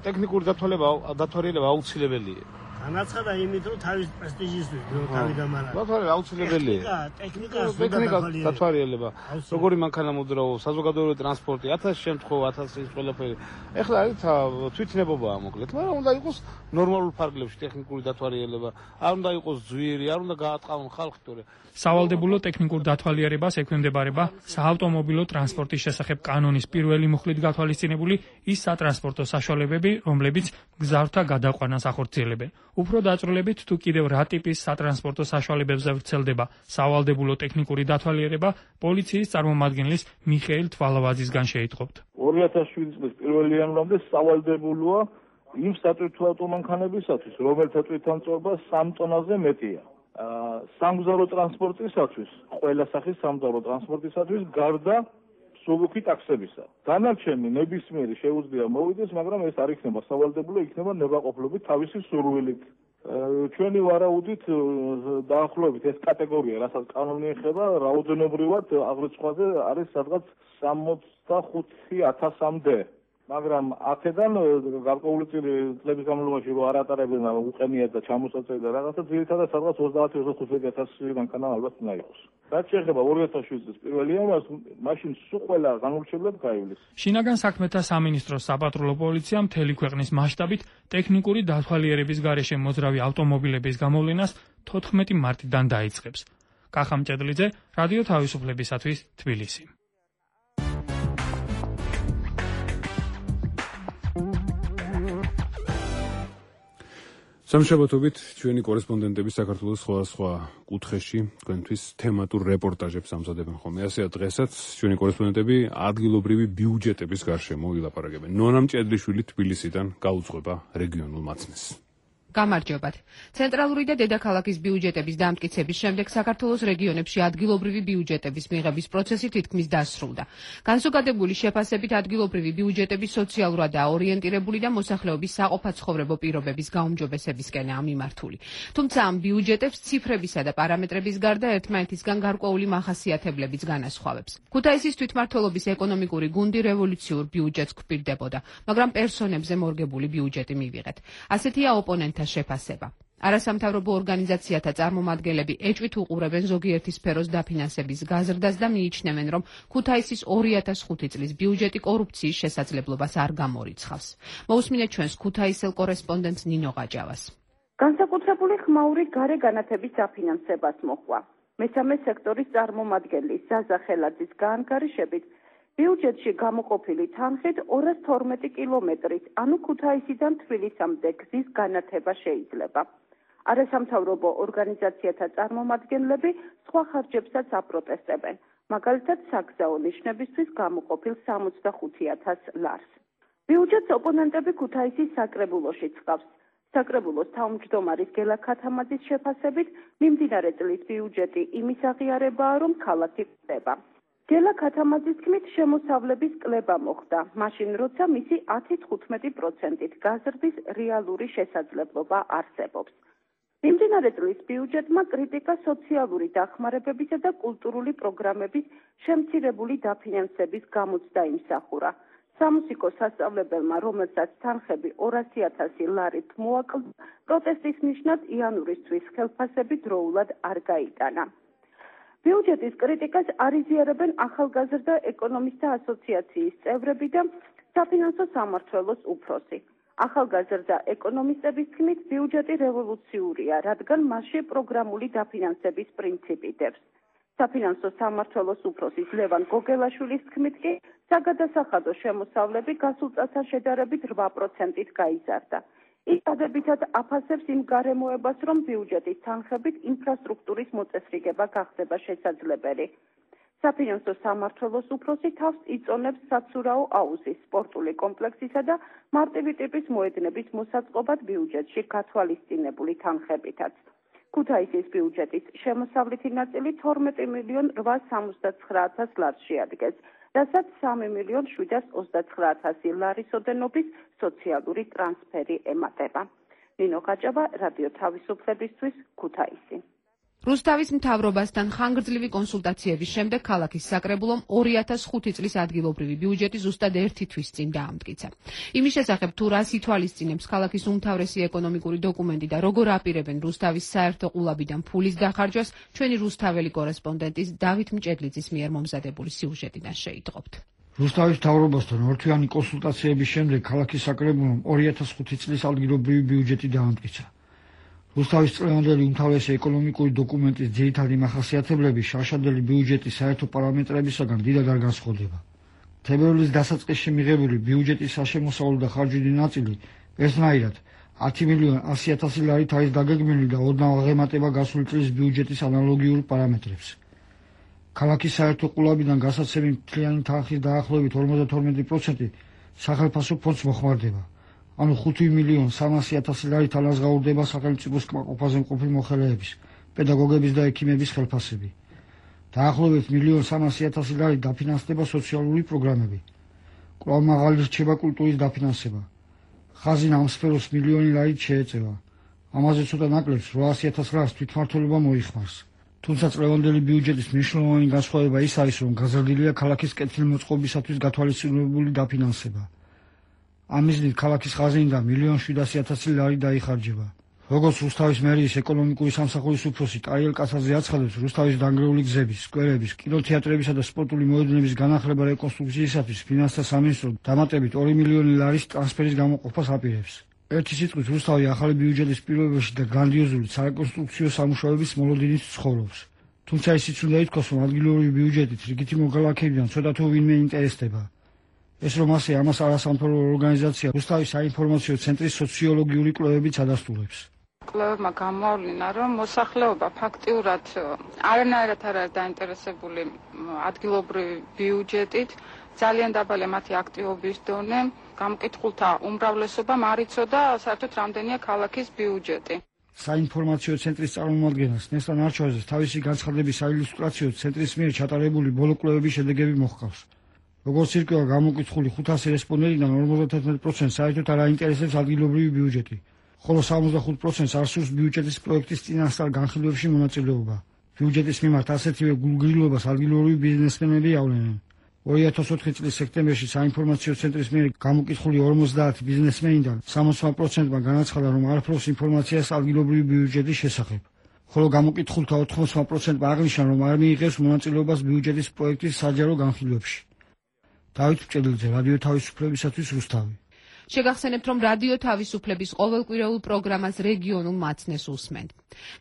ტექნიკური დათვალიერება აუცილებელია. განაცხადა იმით, რომ თავის პრესტიჟისთვის, რომ თავი დამარაგდა. დათვალიერება აუცილებელია. ტექნიკა, ტექნიკა დათვალიერება. როგორი მანქანამუდროო, საზოგადოებრივი ტრანსპორტი, ათას შემთხვევა, ათასი ყველაფერი. ეხლა არის თვითნებობაა მოკლედ, მაგრამ უნდა იყოს ნორმალურ ფარგლებში ტექნიკური დათვალიერება. არ უნდა იყოს ძვირი, არ უნდა გაატყავონ ხალხი თორე. სავალდებულო ტექნიკურ დათვალიერებას ექვემდებარება საავტომობილო ტრანსპორტის შესახებ კანონის პირველი მუხლით გათვალისწინებული ის სატრანსპორტო საშუალებები, რომლებიც მგზავრთა გადაყვანას ახორციელებენ. უფრო დაწვრილებით თუ კიდევ რა ტიპის სატრანსპორტო საშუალებებზე ვრცელდება სავალდებულო ტექნიკური დათვალიერება, პოლიციის წარმომადგენლის მიხეილ თვალავაძისგან შეიტყობთ. ორი ათას შვიდი წლის პირველი იანვრამდე სავალდებულოა იმ სატვირთო ავტომანქანებისათვის, რომელთა თვითამწვევა სამ ტონაზე მეტია. სამგზავრო ტრანსპორტისათვის, ყველა სახის სამგზავრო ტრანსპორტისათვის გარდა მსუბუქი ტაქსებისა. დანარჩენი ნებისმიერი შეუძლია მოვიდეს, მაგრამ ეს არ იქნება სავალდებულო, იქნება ნებაყოფლობით თავისი სურვილით. ჩვენი ვარაუდით დაახლოებით ეს კატეგორია, რასაც კანონი ეხება, რაოდენობრივად აღრიცხვაზე არის სადღაც სამოცდახუთი ათასამდე. მაგრამ აქედან გარკვეული წლების განმავლობაში რო არ ატარებენ უყენიათ და ჩამოსაწევი და რაღაცა ძირითადად სადღაც ოცდაათი ოცდახუთი ათასი მანქანა ალბათ უნდა იყოს. რაც შეეხება ორი ათას შვიდი წლის პირველ იანვარს, მაშინ სულ ყველა განურჩევლად გაივლის. შინაგან საქმეთა სამინისტროს საპატრულო პოლიცია მთელი ქვეყნის მასშტაბით ტექნიკური დათვალიერების გარეშე მოძრავი ავტომობილების გამოვლენას თოთხმეტი მარტიდან დაიწყებს. კახა მჭედლიძე, რადიო თავისუფლებისათვის, თბილისი. სამშაბათობით ჩვენი კორესპონდენტები საქართველოს სხვადასხვა კუთხეში თქვენთვის თემატურ რეპორტაჟებს ამზადებენ ხოლმე. ასეა დღესაც ჩვენი კორესპონდენტები ადგილობრივი ბიუჯეტების გარშემო ვილაპარაკებენ. ნონა მჭედლიშვილი თბილისიდან გაუძღვება რეგიონულ მაცნეს. გამარჯობათ. ცენტრალური და დედაქალაქის ბიუჯეტების დამტკიცების შემდეგ საქართველოს რეგიონებში ადგილობრივი ბიუჯეტების მიღების პროცესი თითქმის დასრულდა. განსაკუთრებული შეფასებით ადგილობრივი ბიუჯეტები სოციალურადაა ორიენტირებული და მოსახლეობის საყოფაცხოვრებო პირობების გაუმჯობესებისკენაა მიმართული. თუმცა ამ ბიუჯეტებს ციფრებისა და პარამეტრების გარდა ერთმანეთისგან გარკვეული მახასიათებლებიც განასხვავებს. ქუთაისის თვითმმართველობის ეკონომიკური გუნდი რევოლუციურ ბიუჯეტს გვპირდებოდა, მაგრამ პერსონებზე მორგებული ბიუჯეტი მივიღეთ. ასეთია ოპონენტთა შეფასება. არასამთავრობო ორგანიზაციათა წარმომადგენლები ეჭვით უყურებენ ზოგიერთი სფეროს დაფინანსების გაზრდას და მიიჩნევენ, რომ ქუთაისის ორი ათას ხუთი წლის ბიუჯეტი კორუფციის შესაძლებლობას არ გამორიცხავს. მოусმინეთ ჩვენს ქუთაისელ კორესპონდენტს ნინო ყაჯავას. განსაკუთრებული ხმაური გარე განათების დაფინანსებას მოჰყვა. მესამე სექტორის წარმომადგენლის ზაზა ხელაძის გაანგარიშებით ბიუჯეტში გამოყოფილი თანხით ორას თორმეტი კილომეტრის, ანუ ქუთაისიდან თბილისამდე გზის განათება შეიძლება. არასამთავრობო ორგანიზაციათა წარმომადგენლები სხვა ხარჯებსაც აპროტესტებენ, მაგალითად საგზაო ნიშნებისთვის გამოყოფილ სამოცდახუთი ათას ლარს. ბიუჯეტს ოპონენტები ქუთაისის საკრებულოში ცხავს. საკრებულოს თავმჯდომარის გელა ქათამაძის შეფასებით, მიმდინარე წლის ბიუჯეტი იმის აღიარებაა, რომ ქალაქი ხდება. გელა ქათამაძის თქმით, შემოსავლების კლება მოხდა, მაშინ როცა მისი ათი თხუთმეტი პროცენტით გაზრდის რეალური შესაძლებლობა არსებობს. მიმდინარე წლის ბიუჯეტმა კრიტიკა სოციალური დახმარებებისა და კულტურული პროგრამების შემცირებული დაფინანსების გამოცდა იმსახურა. სამუსიკო სასწავლებელმა, რომელსაც თანხები ორასი ათასი ლარით მოაკლდა, პროტესტის ნიშნად იანვრის თვის ხელფასები დროულად არ გაიტანა. ბიუჯეტის კრიტიკას არ იზიარებენ ახალგაზრდა ეკონომისტთა ასოციაციის წევრები და საფინანსო სამმართველოს უფროსი. ახალგაზრდა ეკონომისტების თქმით, ბიუჯეტი რევოლუციურია, რადგან მასში პროგრამული დაფინანსების პრინციპი დევს. საფინანსო სამმართველოს უფროსის ლევან გოგელაშვილის თქმით კი, საგადასახადო შემოსავლები გასულ წელთან შედარებით რვა პროცენტით გაიზარდა. ის დადებითად აფასებს იმ გარემოებას, რომ ბიუჯეტის თანხებით ინფრასტრუქტურის მოწესრიგება გახდება შესაძლებელი. საფინანსო სამმართველოს უფროსი თავს იწონებს საცურაო აუზის, სპორტული კომპლექსისა და მარტივი ტიპის მოედნების მოსაწყობად ბიუჯეტში გათვალისწინებული თანხებითაც. ქუთაისის ბიუჯეტის შემოსავლითი ნაწილი თორმეტი მილიონ რვაას სამოცდაცხრა ათას ლარს შეადგენს, რასაც სამი მილიონ შვიდას ოცდაცხრა ათასი ლარის ოდენობის სოციალური ტრანსფერი ემატება. ნინო გაჭაბა, რადიო თავისუფლებისთვის, ქუთაისი. რუსთავის მთავრობასთან ხანგრძლივი კონსულტაციების შემდეგ ქალაქის საკრებულომ ორი ათას ხუთი წლის ადგილობრივი ბიუჯეტი ზუსტად ერთი თვის წინ დაამტკიცა. იმის შესახებ თუ რას ითვალისწინებს ქალაქის უმთავრესი ეკონომიკური დოკუმენტი და როგორ აპირებენ რუსთავის საერთო ყულაბიდან ფულის დახარჯვას, ჩვენი რუსთაველი კორესპონდენტის დავით მჭედლიძის მიერ მომზადებული სიუჟეტიდან შეიტყობთ. რუსთავის მთავრობასთან ორთვიანი კონსულტაციების შემდეგ ქალაქის საკრებულომ ორი ათას ხუთი წლის ადგილობრივი ბიუჯეტი დაამტკიცა. რუსთავის წლევანდელი უმთავრესი ეკონომიკური დოკუმენტის ძირითადი მახასიათებლები შარშანდელი ბიუჯეტის საერთო პარამეტრებისაგან დიდად არ განსხვავდება. თებერვლის დასაწყისში მიღებული ბიუჯეტის საშემოსავლო და ხარჯვილი ნაწილი ერთნაირად ათი მილიონ ასი ათასი ლარით არის დაგეგმილი და ოდნავ აღემატება გასული წლის ბიუჯეტის ანალოგიურ პარამეტრებს. ქალაქის საერთო ყულაბიდან გასაცემი მთლიანი თანხის დაახლოებით ორმოცდათორმეტი პროცენტი სახელმწიფო ფონდს მოხმარდება. ანუ ხუთი მილიონ სამასი ათასი ლარით ანაზღაურდება სახელმწიფოს კმაყოფაზე მყოფი მოხელეების, პედაგოგების და ექიმების ხელფასები. დაახლოებით მილიონ სამასი ათასი ლარით დაფინანსდება სოციალური პროგრამები. კვლავ მაღალი რჩება კულტურის დაფინანსება. ხაზინა ამ სფეროს მილიონი ლარით შეეწევა. ამაზე ცოტა ნაკლებს რვაასი ათას ლარს თვითმმართველობა მოიხმარს. თუმცა წლევანდელი ბიუჯეტის მნიშვნელოვანი განსხვავება ის არის, რომ გაზრდილია ქალაქის კეთილმოწყობისათვის გათვალისწინებული დაფინანსება. ამ მიზნით ქალაქის ხაზინიდან მილიონ შვიდასი ათასი ლარი დაიხარჯება. როგორც რუსთავის მერიის ეკონომიკური სამსახურის უფროსი ტარიელ კაცაძე აცხადებს, რუსთავის დანგრეული გზების, სკვერების, კინოთეატრებისა და სპორტული მოედნების განახლება რეკონსტრუქციისათვის ფინანსთა სამინისტრო დამატებით ორი მილიონი ლარის ტრანსფერის გამოყოფას აპირებს. ერთი სიტყვით რუსთავი ახალი ბიუჯეტის პირობებში და გრანდიოზული სარეკონსტრუქციო სამუშაოების მოლოდინით ცხოვრობს. თუმცა ისიც უნდა ითქვას, რომ ადგილობრივი ბიუჯეტით რიგითი მოქალაქეებიდან ცოტა თუ ვინმე ინტერესდება. ეს რომ ასე ამას არასამთავრობო ორგანიზაცია რუსთავის საინფორმაციო ცენტრის სოციოლოგიური კვლევებიც ადასტურებს. კვლევებმა გამოავლინა, რომ მოსახლეობა ფაქტიურად არანაირად არ არის დაინტერესებული ადგილობრივი ბიუჯეტით, ძალიან დაბალია მათი აქტივობის დონე, გამოკითხულთა უმრავლესობამ არ იცოდა საერთოდ რამდენია ქალაქის ბიუჯეტი. საინფორმაციო ცენტრის წარმომადგენელს ნესტან არჩევაძეს თავისი განცხადების საილუსტრაციო ცენტრის მიერ ჩატარებული ბოლო კვლევების შედეგები მოჰყავს. როგორც ირკვევა გამოკითხული ხუთასი რესპონდენტიდან ორმოცდათერთმეტი პროცენტს საერთოდ არ აინტერესებს ადგილობრივი ბიუჯეტი, ხოლო სამოცდახუთ პროცენტს არ სურს ბიუჯეტის პროექტის წინასწარ განხილვებში მონაწილეობა. ბიუჯეტის მიმართ ასეთივე გულგრილობას ადგილობრივი ბიზნესმენები ავლენენ. ორი ათას ოთხი წლის სექტემბერში საინფორმაციო ცენტრის მიერ გამოკითხული ორმოცდაათი ბიზნესმენიდან სამოცდა პროცენტმა განაცხადა, რომ არ ფლობს ინფორმაციას ადგილობრივი ბიუჯეტის შესახებ, ხოლო გამოკითხულთა ოთხმოცდა პროცენტმა აღნიშნა, რომ არ მიიღებს მონაწილეობას ბიუჯეტის პროექტის საჯარო განხილვებში. დავით მჭედლიძე, რადიო თავისუფლებისათვის, რუსთავი. შეგახსენებთ, რომ რადიო თავისუფლების ყოველკვირეულ პროგრამას რეგიონულ მაცნეს უსმენთ.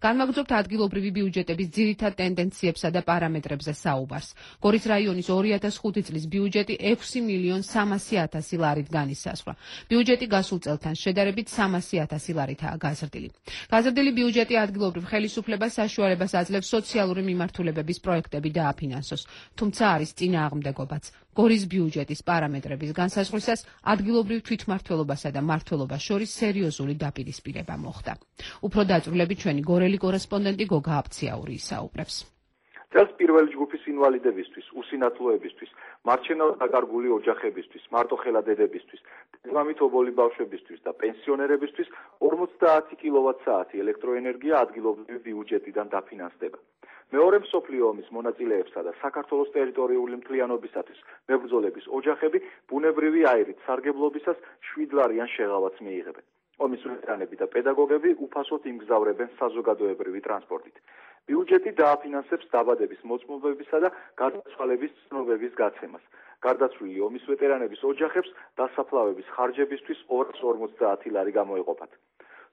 განვაგრძობთ ადგილობრივი ბიუჯეტების ძირითად ტენდენციებსა და პარამეტრებზე საუბარს. გორის რაიონის ორი ათას ხუთი წლის ბიუჯეტი ექვსი მილიონ სამასი ათასი ლარით განისაზღვრა. ბიუჯეტი გასულ წელთან შედარებით სამასი ათასი ლარითაა გაზრდილი. გაზრდილი ბიუჯეტი ადგილობრივ ხელისუფლებას საშუალებას აძლევს სოციალური მიმართულებების პროექტები დააფინანსოს, თუმცა არის წინააღმდეგობაც. გორის ბიუჯეტის პარამეტრების განსაზღვრისას ადგილობრივ თვითმმართველობასა და მმართველობას შორის სერიოზული დაპირისპირება მოხდა. უფრო დაწვრილებით ჩვენი გორელი კორესპონდენტი გოგა აფციაური ისაუბრებს. წელს პირველი ჯგუფის ინვალიდებისთვის, უსინათლოებისთვის, მარჩენად დაკარგული ოჯახებისთვის, მარტოხელა დედებისთვის, დედმამით ობოლი ბავშვებისთვის და პენსიონერებისთვის ორმოცდაათი კილოვატ-საათი ელექტროენერგია ადგილობრივი ბიუჯეტიდან დაფინანსდება. მეორე მსოფლიო ომის მონაწილეებსა და საქართველოს ტერიტორიული მთლიანობისათვის მებრძოლების ოჯახები ბუნებრივი აირით სარგებლობისას შვიდლარიან შეღავათს მიიღებენ. ომის ვეტერანები და პედაგოგები უფასოდ იმგზავრებენ საზოგადოებრივი ტრანსპორტით. ბიუჯეტი დააფინანსებს დაბადების მოწმობებისა და გარდაცვალების ცნობების გაცემას. გარდაცვლილი ომის ვეტერანების ოჯახებს დასაფლავების ხარჯებისთვის ორას ორმოცდაათი ლარი გამოეყოფათ.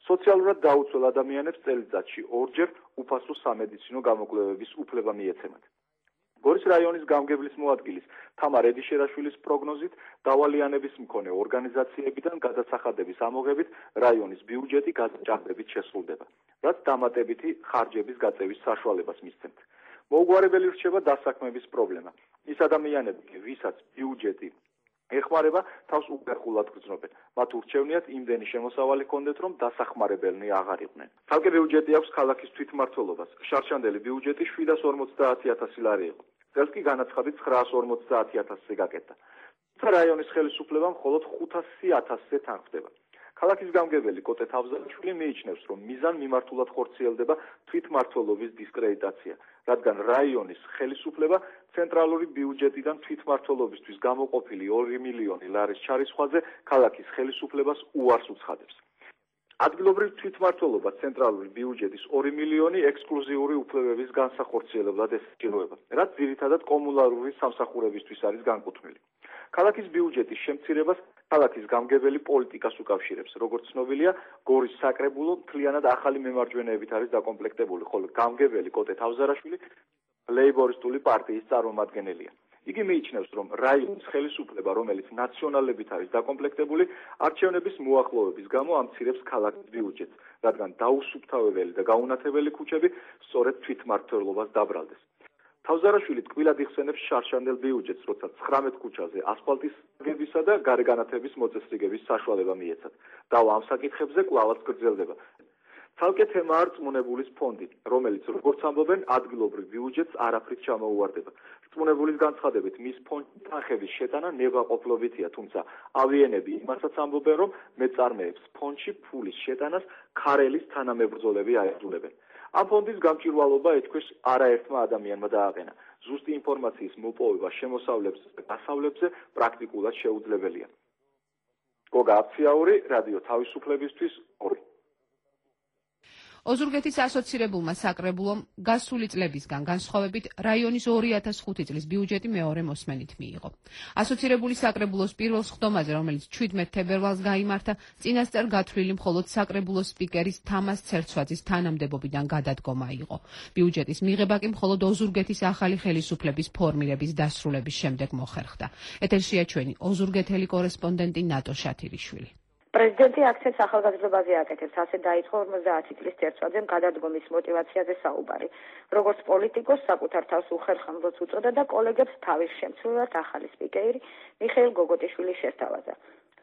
სოციალურად დაუცველ ადამიანებს წელიწადში ორჯერ უფასო სამედიცინო გამოკვლევების უფლება მიეცემათ. გორის რაიონის გამგებლის მოადგილის თამარ ედიშერაშვილის პროგნოზით დავალიანების მქონე ორგანიზაციებიდან გადასახადების ამოღებით რაიონის ბიუჯეტი გადაჭარბებით შესრულდება, რაც დამატებითი ხარჯების გაწევის საშუალებას მისცემთ. მოუგვარებელი რჩება დასაქმების პრობლემა. ის ადამიანები, ვისაც ბიუჯეტი ეხმარება, თავს უპერხულად გრძნობენ. მათ ურჩევნიათ იმდენი შემოსავალი ჰქონდეთ, რომ დასახმარებელნი აღარ იყვნენ. თალკე ბიუჯეტი აქვს ქალაქის თვითმმართველობას. შარშანდელი ბიუჯეტი შვიდას ორმოცდაათი ათასი ლარი იყო. წელს კი განაცხადით ცხრაას ორმოცდაათი ათასზე გაკეთდა. რაიონის ხელისუფლება მხოლოდ ხუთასი ათასზე თანხმდება. ქალაქის გამგებელი კოტე თავზარაშვილი მიიჩნევს, რომ მიზან მიმართულად ხორციელდება თვითმმართველობის დისკრედიტაცია, რადგან რაიონის ხელისუფლება ცენტრალური ბიუჯეტიდან თვითმმართველობისთვის გამოყოფილი ორი მილიონი ლარის ჩარისხვაზე ქალაქის ხელისუფლებას უარს უცხადებს. ადგილობრივ თვითმმართველობა ცენტრალური ბიუჯეტის ორი მილიონი ექსკლუზიური უფლებების განსახორციელებლად ესწრება, რაც ძირითადად კომუნალური სამსახურებისთვის არის განკუთვნილი. ქალაქის ბიუჯეტის შემცირებას ქალაქის გამგებელი პოლიტიკას უკავშირებს. როგორც ცნობილია, გორის საკრებულო მთლიანად ახალი მემარჯვენეებით არის დაკომპლექტებული, ხოლო გამგებელი კოტე თავზარაშვილი ლეიბორისტული პარტიის წარმომადგენელია. იგი მიიჩნევს, რომ რაიონის ხელისუფლება, რომელიც ნაციონალებით არის დაკომპლექტებული, არჩევნების მოახლოების გამო ამცირებს ქალაქის ბიუჯეტს, რადგან დაუსუფთავებელი და გაუნათებელი ქუჩები სწორედ თვითმმართველობას დაბრალდეს. თავზარაშვილი ტკბილად იხსენებს შარშანდელ ბიუჯეტს, როცა ცხრამეტ ქუჩაზე ასფალტის გებისა და გარეგანათების მოწესრიგების საშუალება მიეცათ. დავა ამ საკითხებზე კვლავაც გრძელდება. ცალკე თემაა რწმუნებულის ფონდი, რომელიც, როგორც ამბობენ, ადგილობრივ ბიუჯეტს არაფრით ჩამოუვარდება. რწმუნებულის განცხადებით, მის ფონდში თანხების შეტანა ნებაყოფლობითია, თუმცა ავიენები იმასაც ამბობენ, რომ მეწარმეებს ფონდში ფულის შეტანას ქარელის თანამებრძოლები აეძულებენ. ამ ფონდის გამჭვირვალობა ეთქვეს არაერთმა ადამიანმა დააყენა. ზუსტი ინფორმაციის მოპოვება შემოსავლებზე და გასავლებზე პრაქტიკულად შეუძლებელია. გოგა აფციაური, რადიო თავისუფლებისთვის ორი. ოზურგეთის ასოცირებულმა საკრებულომ გასული წლებისგან განსხვავებით რაიონის ორი ათას ხუთი წლის ბიუჯეტი მეორე მოსმენით მიიღო. ასოცირებული საკრებულოს პირველ სხდომაზე, რომელიც ჩვიდმეტ თებერვალს გაიმართა, წინასწარ გათვლილი მხოლოდ საკრებულოს სპიკერის თამას ცერცვაძის თანამდებობიდან გადადგომა იყო. ბიუჯეტის მიღება კი მხოლოდ ოზურგეთის ახალი ხელისუფლების ფორმირების დასრულების შემდეგ მოხერხდა. ეთერშია ჩვენი ოზურგეთელი კორესპონდენტი ნატო შათირიშვილი. პრეზიდენტი აქცენტს ახალგაზრდობაზე აკეთებს, ასე დაიწყო ორმოცდაათი წლის ცერცვაძემ გადადგომის мотиваციაზე საუბარი. როგორც პოლიტიკოს საკუთარ თავს უხერხემლოც უწოდა და კოლეგებს თავის შემცვლელად ახალი სპიკერი მიხეილ გოგოტიშვილი შესთავაზა.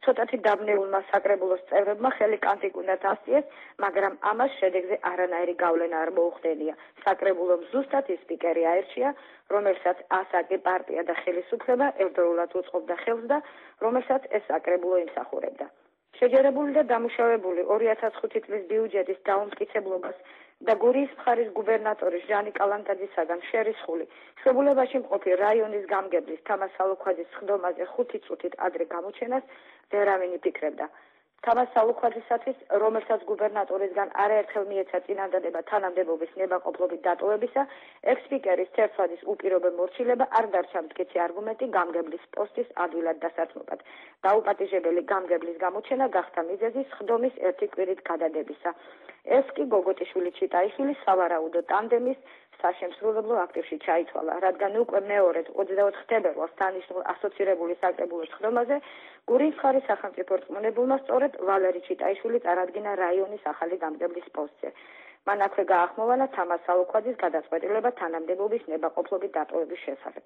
ცოტათი დაბნეულმა საკრებულოს წევრებმა ხელი კანტიკ უნდათ ასწიეს, მაგრამ ამას შედეგზე არანაირი გავლენა არ მოუხდენია. საკრებულომ ზუსტად ის სპიკერი აერჩია, რომელსაც ასაკი პარტია და ხელისუფლება ერთდროულად უწყობდა ხელს და რომელსაც ეს საკრებულო იმსახურებდა. შეჯერებული და დამუშავებული ორი ათას ხუთი წლის ბიუჯეტის დაუმტკიცებლობას და გურიის მხარის გუბერნატორის ჟანი კალანტაძისაგან შერისხული შებულებაში მყოფი რაიონის გამგებლის თამას სალუქვაძის სხდომაზე ხუთი წუთით ადრე გამოჩენას ვერავინ იფიქრებდა. თამას სალუქვაძისათვის, რომელსაც გუბერნატორისგან არაერთხელ მიეცა წინადადება თანამდებობის ნებაყოფლობით დატოვებისა, ექს-სპიკერის ცერცვაძის უპირობო მორჩილება არ დარჩა მტკიცე არგუმენტი გამგებლის პოსტის ადვილად დასაცმობად. დაუპატიჟებელი გამგებლის გამოჩენა გახდა მიზეზი სხდომის ერთი კვირით გადადებისა. ეს კი გოგოტიშვილი ჩიტაიშვილი სავარაუდო ტანდემის საშემსრულებლო აქტივში ჩაითვალა, რადგან უკვე მეორედ ოცდაოთხ თებერვალს დანიშნულ ასოცირებული საკრებულოს სხდომაზე გურიის მხარის სახელმწიფო რწმუნებულმა სწორედ ვალერი ჩიტაიშვილი წარადგინა რაიონის ახალი გამგებლის პოსტზე. მან აქვე გაახმოვანა თამას სალუქვაძის გადაწყვეტილება თანამდებობის ნებაყოფლობით დატოვების შესახებ.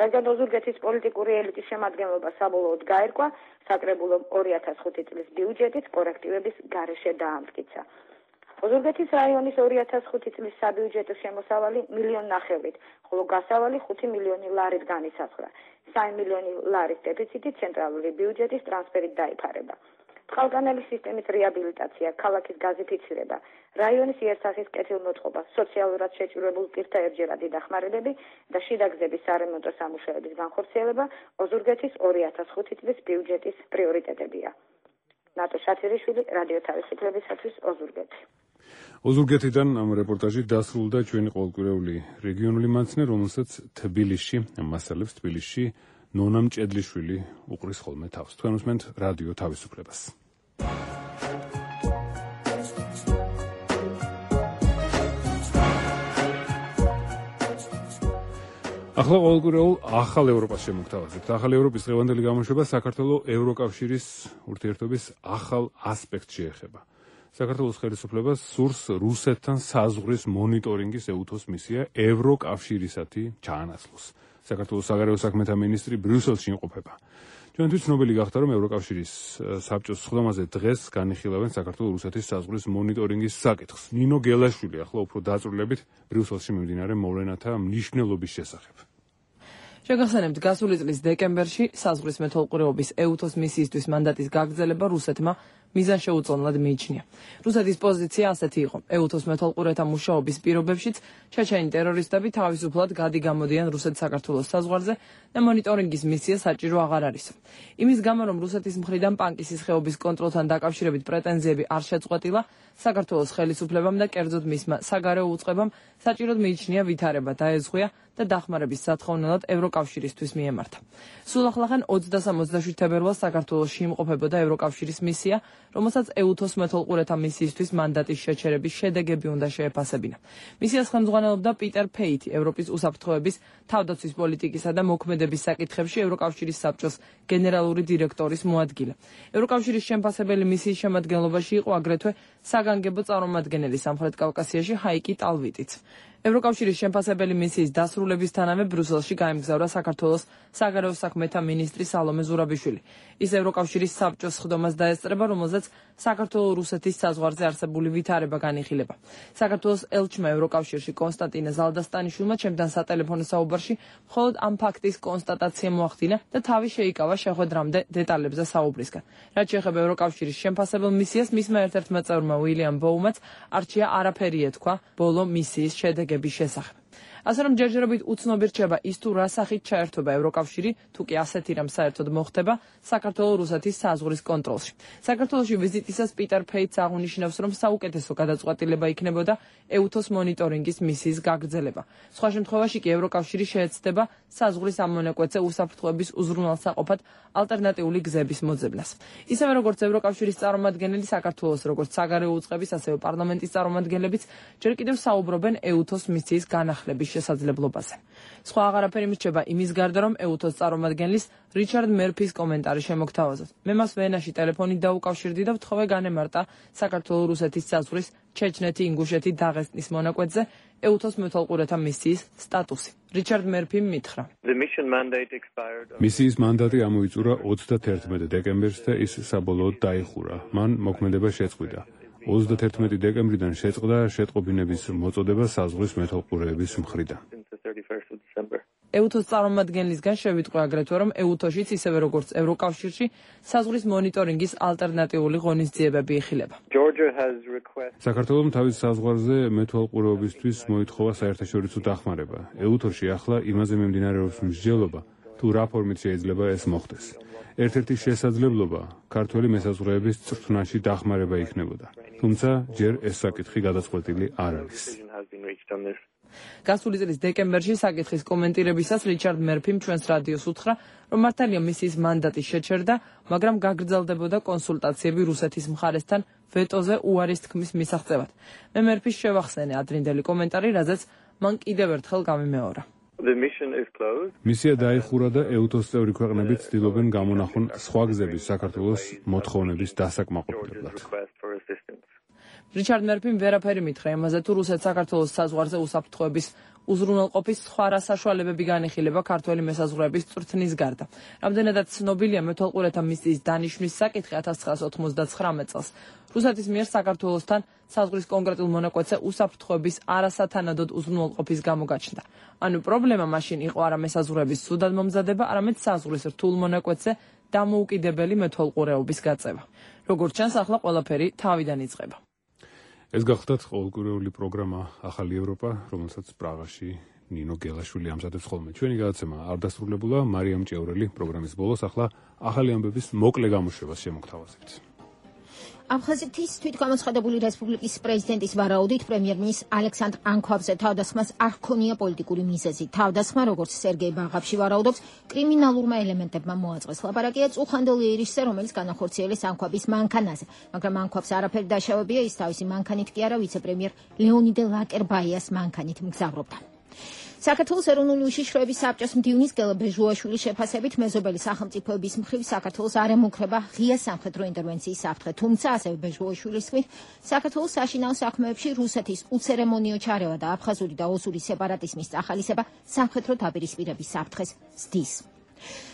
რადგან ოზურგეთის პოლიტიკური ელიტის შემადგენლობა საბოლოოდ გაერკვა, საკრებულომ ორი ათას ხუთი წლის ბიუჯეტით კორექტივების გარეშე დაამტკიცა. ოზურგეთის რაიონის ორი ათას ხუთი წლის საბიუჯეტო შემოსავალი მილიონ ნახევრით, ხოლო გასავალი ხუთი მილიონი ლარით განისაზღვრა. სამი მილიონი ლარის დეფიციტი ცენტრალური ბიუჯეტის ტრანსფერით დაიფარება. წყალგანელის სისტემის რეაბილიტაცია, ქალაქის გაზიფიცირება, რაიონის იერსახის კეთილმოწყობა, სოციალურად შეჭირებულ პირთა ერთჯერადი დახმარებები და შიდა გზების სარემონტო სამუშაოების განხორციელება ოზურგეთის ორი ათას ხუთი წლის ბიუჯეტის პრიორიტეტებია. ნატო შათირიშვილი, რადიო თავისუფლებისათვის, ოზურგეთი. ოზურგეთიდან ამ რეპორტაჟი დასრულდა ჩვენი ყოველკვირეული რეგიონული მაცნე, რომელსაც თბილისში მასალებს თბილისში ნონა მჭედლიშვილი უყრის ხოლმე თავს. თქვენ უსმენთ რადიო თავისუფლებას. ახლა ყოველკვირეულ ახალ ევროპას შემოგთავაზებთ. ახალ ევროპის დღევანდელი გამოშვება საქართველოს ევროკავშირის ურთიერთობის ახალ ასპექტს შეეხება. საქართველოს ხელისუფლებას სურს რუსეთთან საზღვრის მონიტორინგის ეუთოს მისია ევროკავშირისათი ჩაანაცვლოს. საქართველოს საგარეო საქმეთა მინისტრი ბრიუსელში იმყოფება. ჩვენთვის ცნობილი გახდა, რომ ევროკავშირის საბჭოს სხდომაზე დღეს განიხილავენ საქართველოს რუსეთის საზღვრის მონიტორინგის საკითხს. ნინო გელაშვილი ახლა უფრო დაწვრილებით ბრიუსელში მიმდინარე მოვლენათა მნიშვნელობის შესახებ. შეგახსენებთ, გასული წლის დეკემბერში საზღვრის მეთვალყურეობის ეუთოს მისიისთვის მანდატის გაგრძელება რუსეთმა მიზანშეუწონლად მიიჩნია. რუსეთის პოზიცია ასეთი იყო: ეუთოს მეთვალყურეთა მუშაობის პირობებშიც ჩეჩენი ტერორისტები თავისუფლად გადი-გამოდიან რუსეთ-საქართველოს საზღვარზე და მონიტორინგის მისია საჭირო აღარ არის. იმის გამო, რომ რუსეთის მხრიდან პანკისის ხეობის კონტროლთან დაკავშირებით პრეტენზიები არ შეწყვეტილა, საქართველოს ხელისუფლებამ და კერძოდ მისმა საგარეო უწყებამ საჭიროდ მიიჩნია ვითარება დაეზღვია და დახმარების სათხოვნელად ევროკავშირისთვის მიემართა. სულ ახლახან ოცდასამ ოცდაშვიდ თებერვალს საქართველოში იმყოფებოდა ევროკავშირის მისია, რომელსაც ეუთოს მეთვალყურეთა მისიისთვის მანდატის შეჩერების შედეგები უნდა შეეფასებინა. მისიას ხელმძღვანელობდა პიტერ ფეითი, ევროპის უსაფრთხოების, თავდაცვის პოლიტიკისა და მოქმედების საკითხებში ევროკავშირის საბჭოს გენერალური დირექტორის მოადგილე. ევროკავშირის შემფასებელი მისიის შემადგენლობაში იყო აგრეთვე საგანგებო წარმომადგენელი სამხრეთ კავკასიაში ჰაიკი ტალვიტიც. ევროკავშირის შემფასებელი მისიის დასრულებისთანავე ბრიუსელში გაემგზავრა საქართველოს საგარეო საქმეთა მინისტრი სალომე ზურაბიშვილი. ის ევროკავშირის საბჭოს სხდომას დაესწრება, რომელზეც საქართველოს-რუსეთის საზღვარზე არსებული ვითარება განიხილება. საქართველოს ელჩმა ევროკავშირში კონსტანტინე ზალდასტანიშვილმა ჩემთან სატელეფონო საუბარში მხოლოდ ამ ფაქტის კონსტატაცია მოახდინა და თავი შეიკავა შეხვედრამდე დეტალებზე საუბრისგან. რაც შეეხება ევროკავშირის შემფასებელ მისიას, მისმა ერთ-ერთმა წევრმა უილიამ ბოუმაც არჩია არაფერი ეთქვა ბოლო მისიის შედეგების შესახებ. ასე რომ ჯერჯერობით უცნობი რჩება ის თუ რა სახით ჩაერთვება ევროკავშირი, თუ კი ასეთი რამ საერთოდ მოხდება საქართველოს-რუსეთის საზღვრის კონტროლში. საქართველოში ვიზიტისას პიტერ ფეითს აღნიშნავს, რომ საუკეთესო გადაწყვეტილება იქნებოდა ეუთოს მონიტორინგის მისიის გაგრძელება. სხვა შემთხვევაში კი ევროკავშირი შეეცდება საზღვრის ამონაკვეთზე უსაფრთხოების უზრუნველსაყოფად ალტერნატიული გზების მოძებნას. ისევე როგორც ევროკავშირის წარმომადგენელი, საქართველოს როგორც საგარეო უწყების, ასევე პარლამენტის წარმომადგენლებიც ჯერ კიდევ საუბრობენ ეუთოს მისიის განახლების შესაძლებლობაზე. სხვა აღარაფერი მრჩება იმის გარდა, რომ ეუთოს წარმომადგენლის რიჩარდ მერფის კომენტარი შემოგთავაზოთ. მე მას ვენაში ტელეფონით დაუკავშირდი და ვთხოვე განემარტა საქართველოს-რუსეთის საზღვრის ჩეჩნეთი-ინგუშეთი დაღესტნის მონაკვეთზე ეუთოს მეთვალყურეთა მისიის სტატუსი. რიჩარდ მერფიმ მითხრა: მისიის მანდატი ამოიწურა ოცდათერთმეტ დეკემბერს და ის საბოლოოდ დაიხურა. მან მოქმედება შეწყვიტა. ოცდათერთმეტი დეკემბრიდან შეწყდა შეტყობინების მოწოდება საზღვრის მეთვალყურეების მხრიდან. ეუთოს წარმომადგენლისგან შევიტყვე აგრეთვე, რომ ეუთოშიც ისევე როგორც ევროკავშირში საზღვრის მონიტორინგის ალტერნატიული ღონისძიებები იხილება. საქართველომ თავის საზღვარზე მეთვალყურეობისთვის მოითხოვა საერთაშორისო დახმარება. ეუთოში ახლა იმაზე მიმდინარეობს მსჯელობა, თუ რა ფორმით შეიძლება ეს მოხდეს. ერთ-ერთი შესაძლებლობა ქართველი მესაზღვრეების წრთნაში დახმარება იქნებოდა. თუმცა ჯერ ეს საკითხი გადაწყვეტილი არ არის. გასული წლის დეკემბერში საკითხის კომენტირებისას რიჩარდ მერფიმ ჩვენს რადიოს უთხრა, რომ მართალია მისიის მანდატი შეჩერდა, მაგრამ გაგრძელდებოდა კონსულტაციები რუსეთის მხარესთან ვეტოზე უარის თქმის მისაღწევად. მე მერფის შევახსენე ადრინდელი კომენტარი, რაზეც მან კიდევ ერთხელ გამიმეორა. მისია დაიხურა და ეუთოს წევრი ქვეყნები ცდილობენ გამონახონ სხვა გზების საქართველოს მოთხოვნების დასაკმაყოფილებლად. რიჩარდ მერფიმ ვერაფერი მითხრა იმაზე, თუ რუსეთ-საქართველოს საზღვარზე უსაფრთხოების უზრუნველყოფის სხვა რა საშუალებები განიხილება ქართველი მესაზღვრეების წვრთნის გარდა. რამდენადაც ცნობილია მეთვალყურეთა მისიის დანიშვნის საკითხი ათას ცხრაასა ოცდაცხრამეტ წელს. რუსეთის მიერ საქართველოსთან საზღვრის კონკრეტულ მონაკვეთზე უსაფრთხოების არასათანადოდ უზრუნველყოფის გამო გაჩნდა. ანუ პრობლემა მაშინ იყო არა მესაზღვრეების ცუდად მომზადება, არამედ საზღვრის რთულ მონაკვეთზე დამოუკიდებელი მეთვალყურეობის გაწევა. როგორც ჩანს, ახლა ყველაფერი თავიდან იწყება. ეს გახლდათ ყოველკვირეული პროგრამა ახალი ევროპა, რომელსაც პრაღაში ნინო გელაშვილი ამზადებს ხოლმე. ჩვენი გადაცემა არ დასრულებულა, მარიამ ჭევრელი პროგრამის ბოლოს ახლა ახალი ამბების მოკლე გამოშვებას შემოგთავაზებთ. აფხაზეთის თვითგამოცხადებული რესპუბლიკის პრეზიდენტის ვარაუდით პრემიერ-მინისტრ ალექსანდრ ანქვაბზე თავდასხმას არ ჰქონია პოლიტიკური მიზეზი. თავდასხმა, როგორც სერგეი ბაღაფში ვარაუდობს, კრიმინალურმა ელემენტებმა მოაწყეს. ლაპარაკია წუხანდელ იერიშზე, რომელიც განახორციელეს ანქვაბის მანქანაზე, მაგრამ ანქვაბს არაფერი დაშავებია, ის თავისი მანქანით კი არა, ვიცე-პრემიერ ლეონიდე ლაკერბაიას მანქანით მგზავრობდა. საქართველოს ეროვნული უშიშროების საბჭოს მდივნის გელა ბეჟუაშვილის შეფასებით მეზობელი სახელმწიფოების მხრივ საქართველოს არ ემუქრება ღია სამხედრო ინტერვენციის საფრთხე, თუმცა ასევე ბეჟუაშვილის თქმით, საქართველოს საშინაო საქმეებში რუსეთის უცერემონიო ჩარევა და აფხაზური და ოსური სეპარატიზმის წახალისება სამხედრო დაპირისპირების საფრთხეს ზრდის.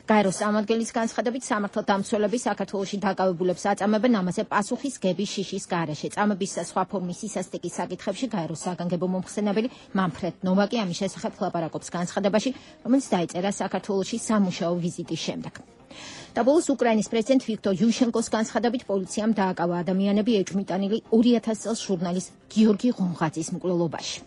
გაეროს წარმომადგენლის განცხადებით სამართალდამცველები საქართველოში დაკავებულებს აწამებენ ამაზე პასუხის გების შიშის გარეშე. წამების და სხვა ფორმის სისასტიკის საკითხებში გაეროს საგანგებო მომხსენებელი მანფრედ ნოვაკი ამის შესახებ ლაპარაკობს განცხადებაში, რომელიც დაიწერა საქართველოში სამუშაო ვიზიტის შემდეგ. და ბოლოს უკრაინის პრეზიდენტ ვიქტორ იუშენკოს განცხადებით პოლიციამ დააკავა ადამიანები ეჭვმიტანილი ორი ათასი წელს ჟურნალის გიორგი ღონღაძის მკვლელობაში.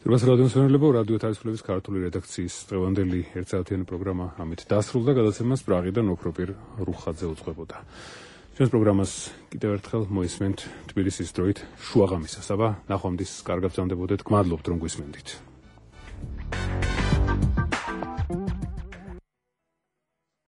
들어서 라디오스널레보 라디오 탈출ების ქართული რედაქციის დღევანდელი ერთ საათიანი პროგრამა ამით დასრულდა. გადაცემას პრაღიდან ოქროპირ რუხაძე უძღვებოდა. ჩვენს პროგრამას კიდევ ერთხელ მოისმენთ თბილისის დროით შუაღამისას. აბა ნახვამდის კარგად გრძანდებოდეთ. გმადლობთ რომ გვისმენდით.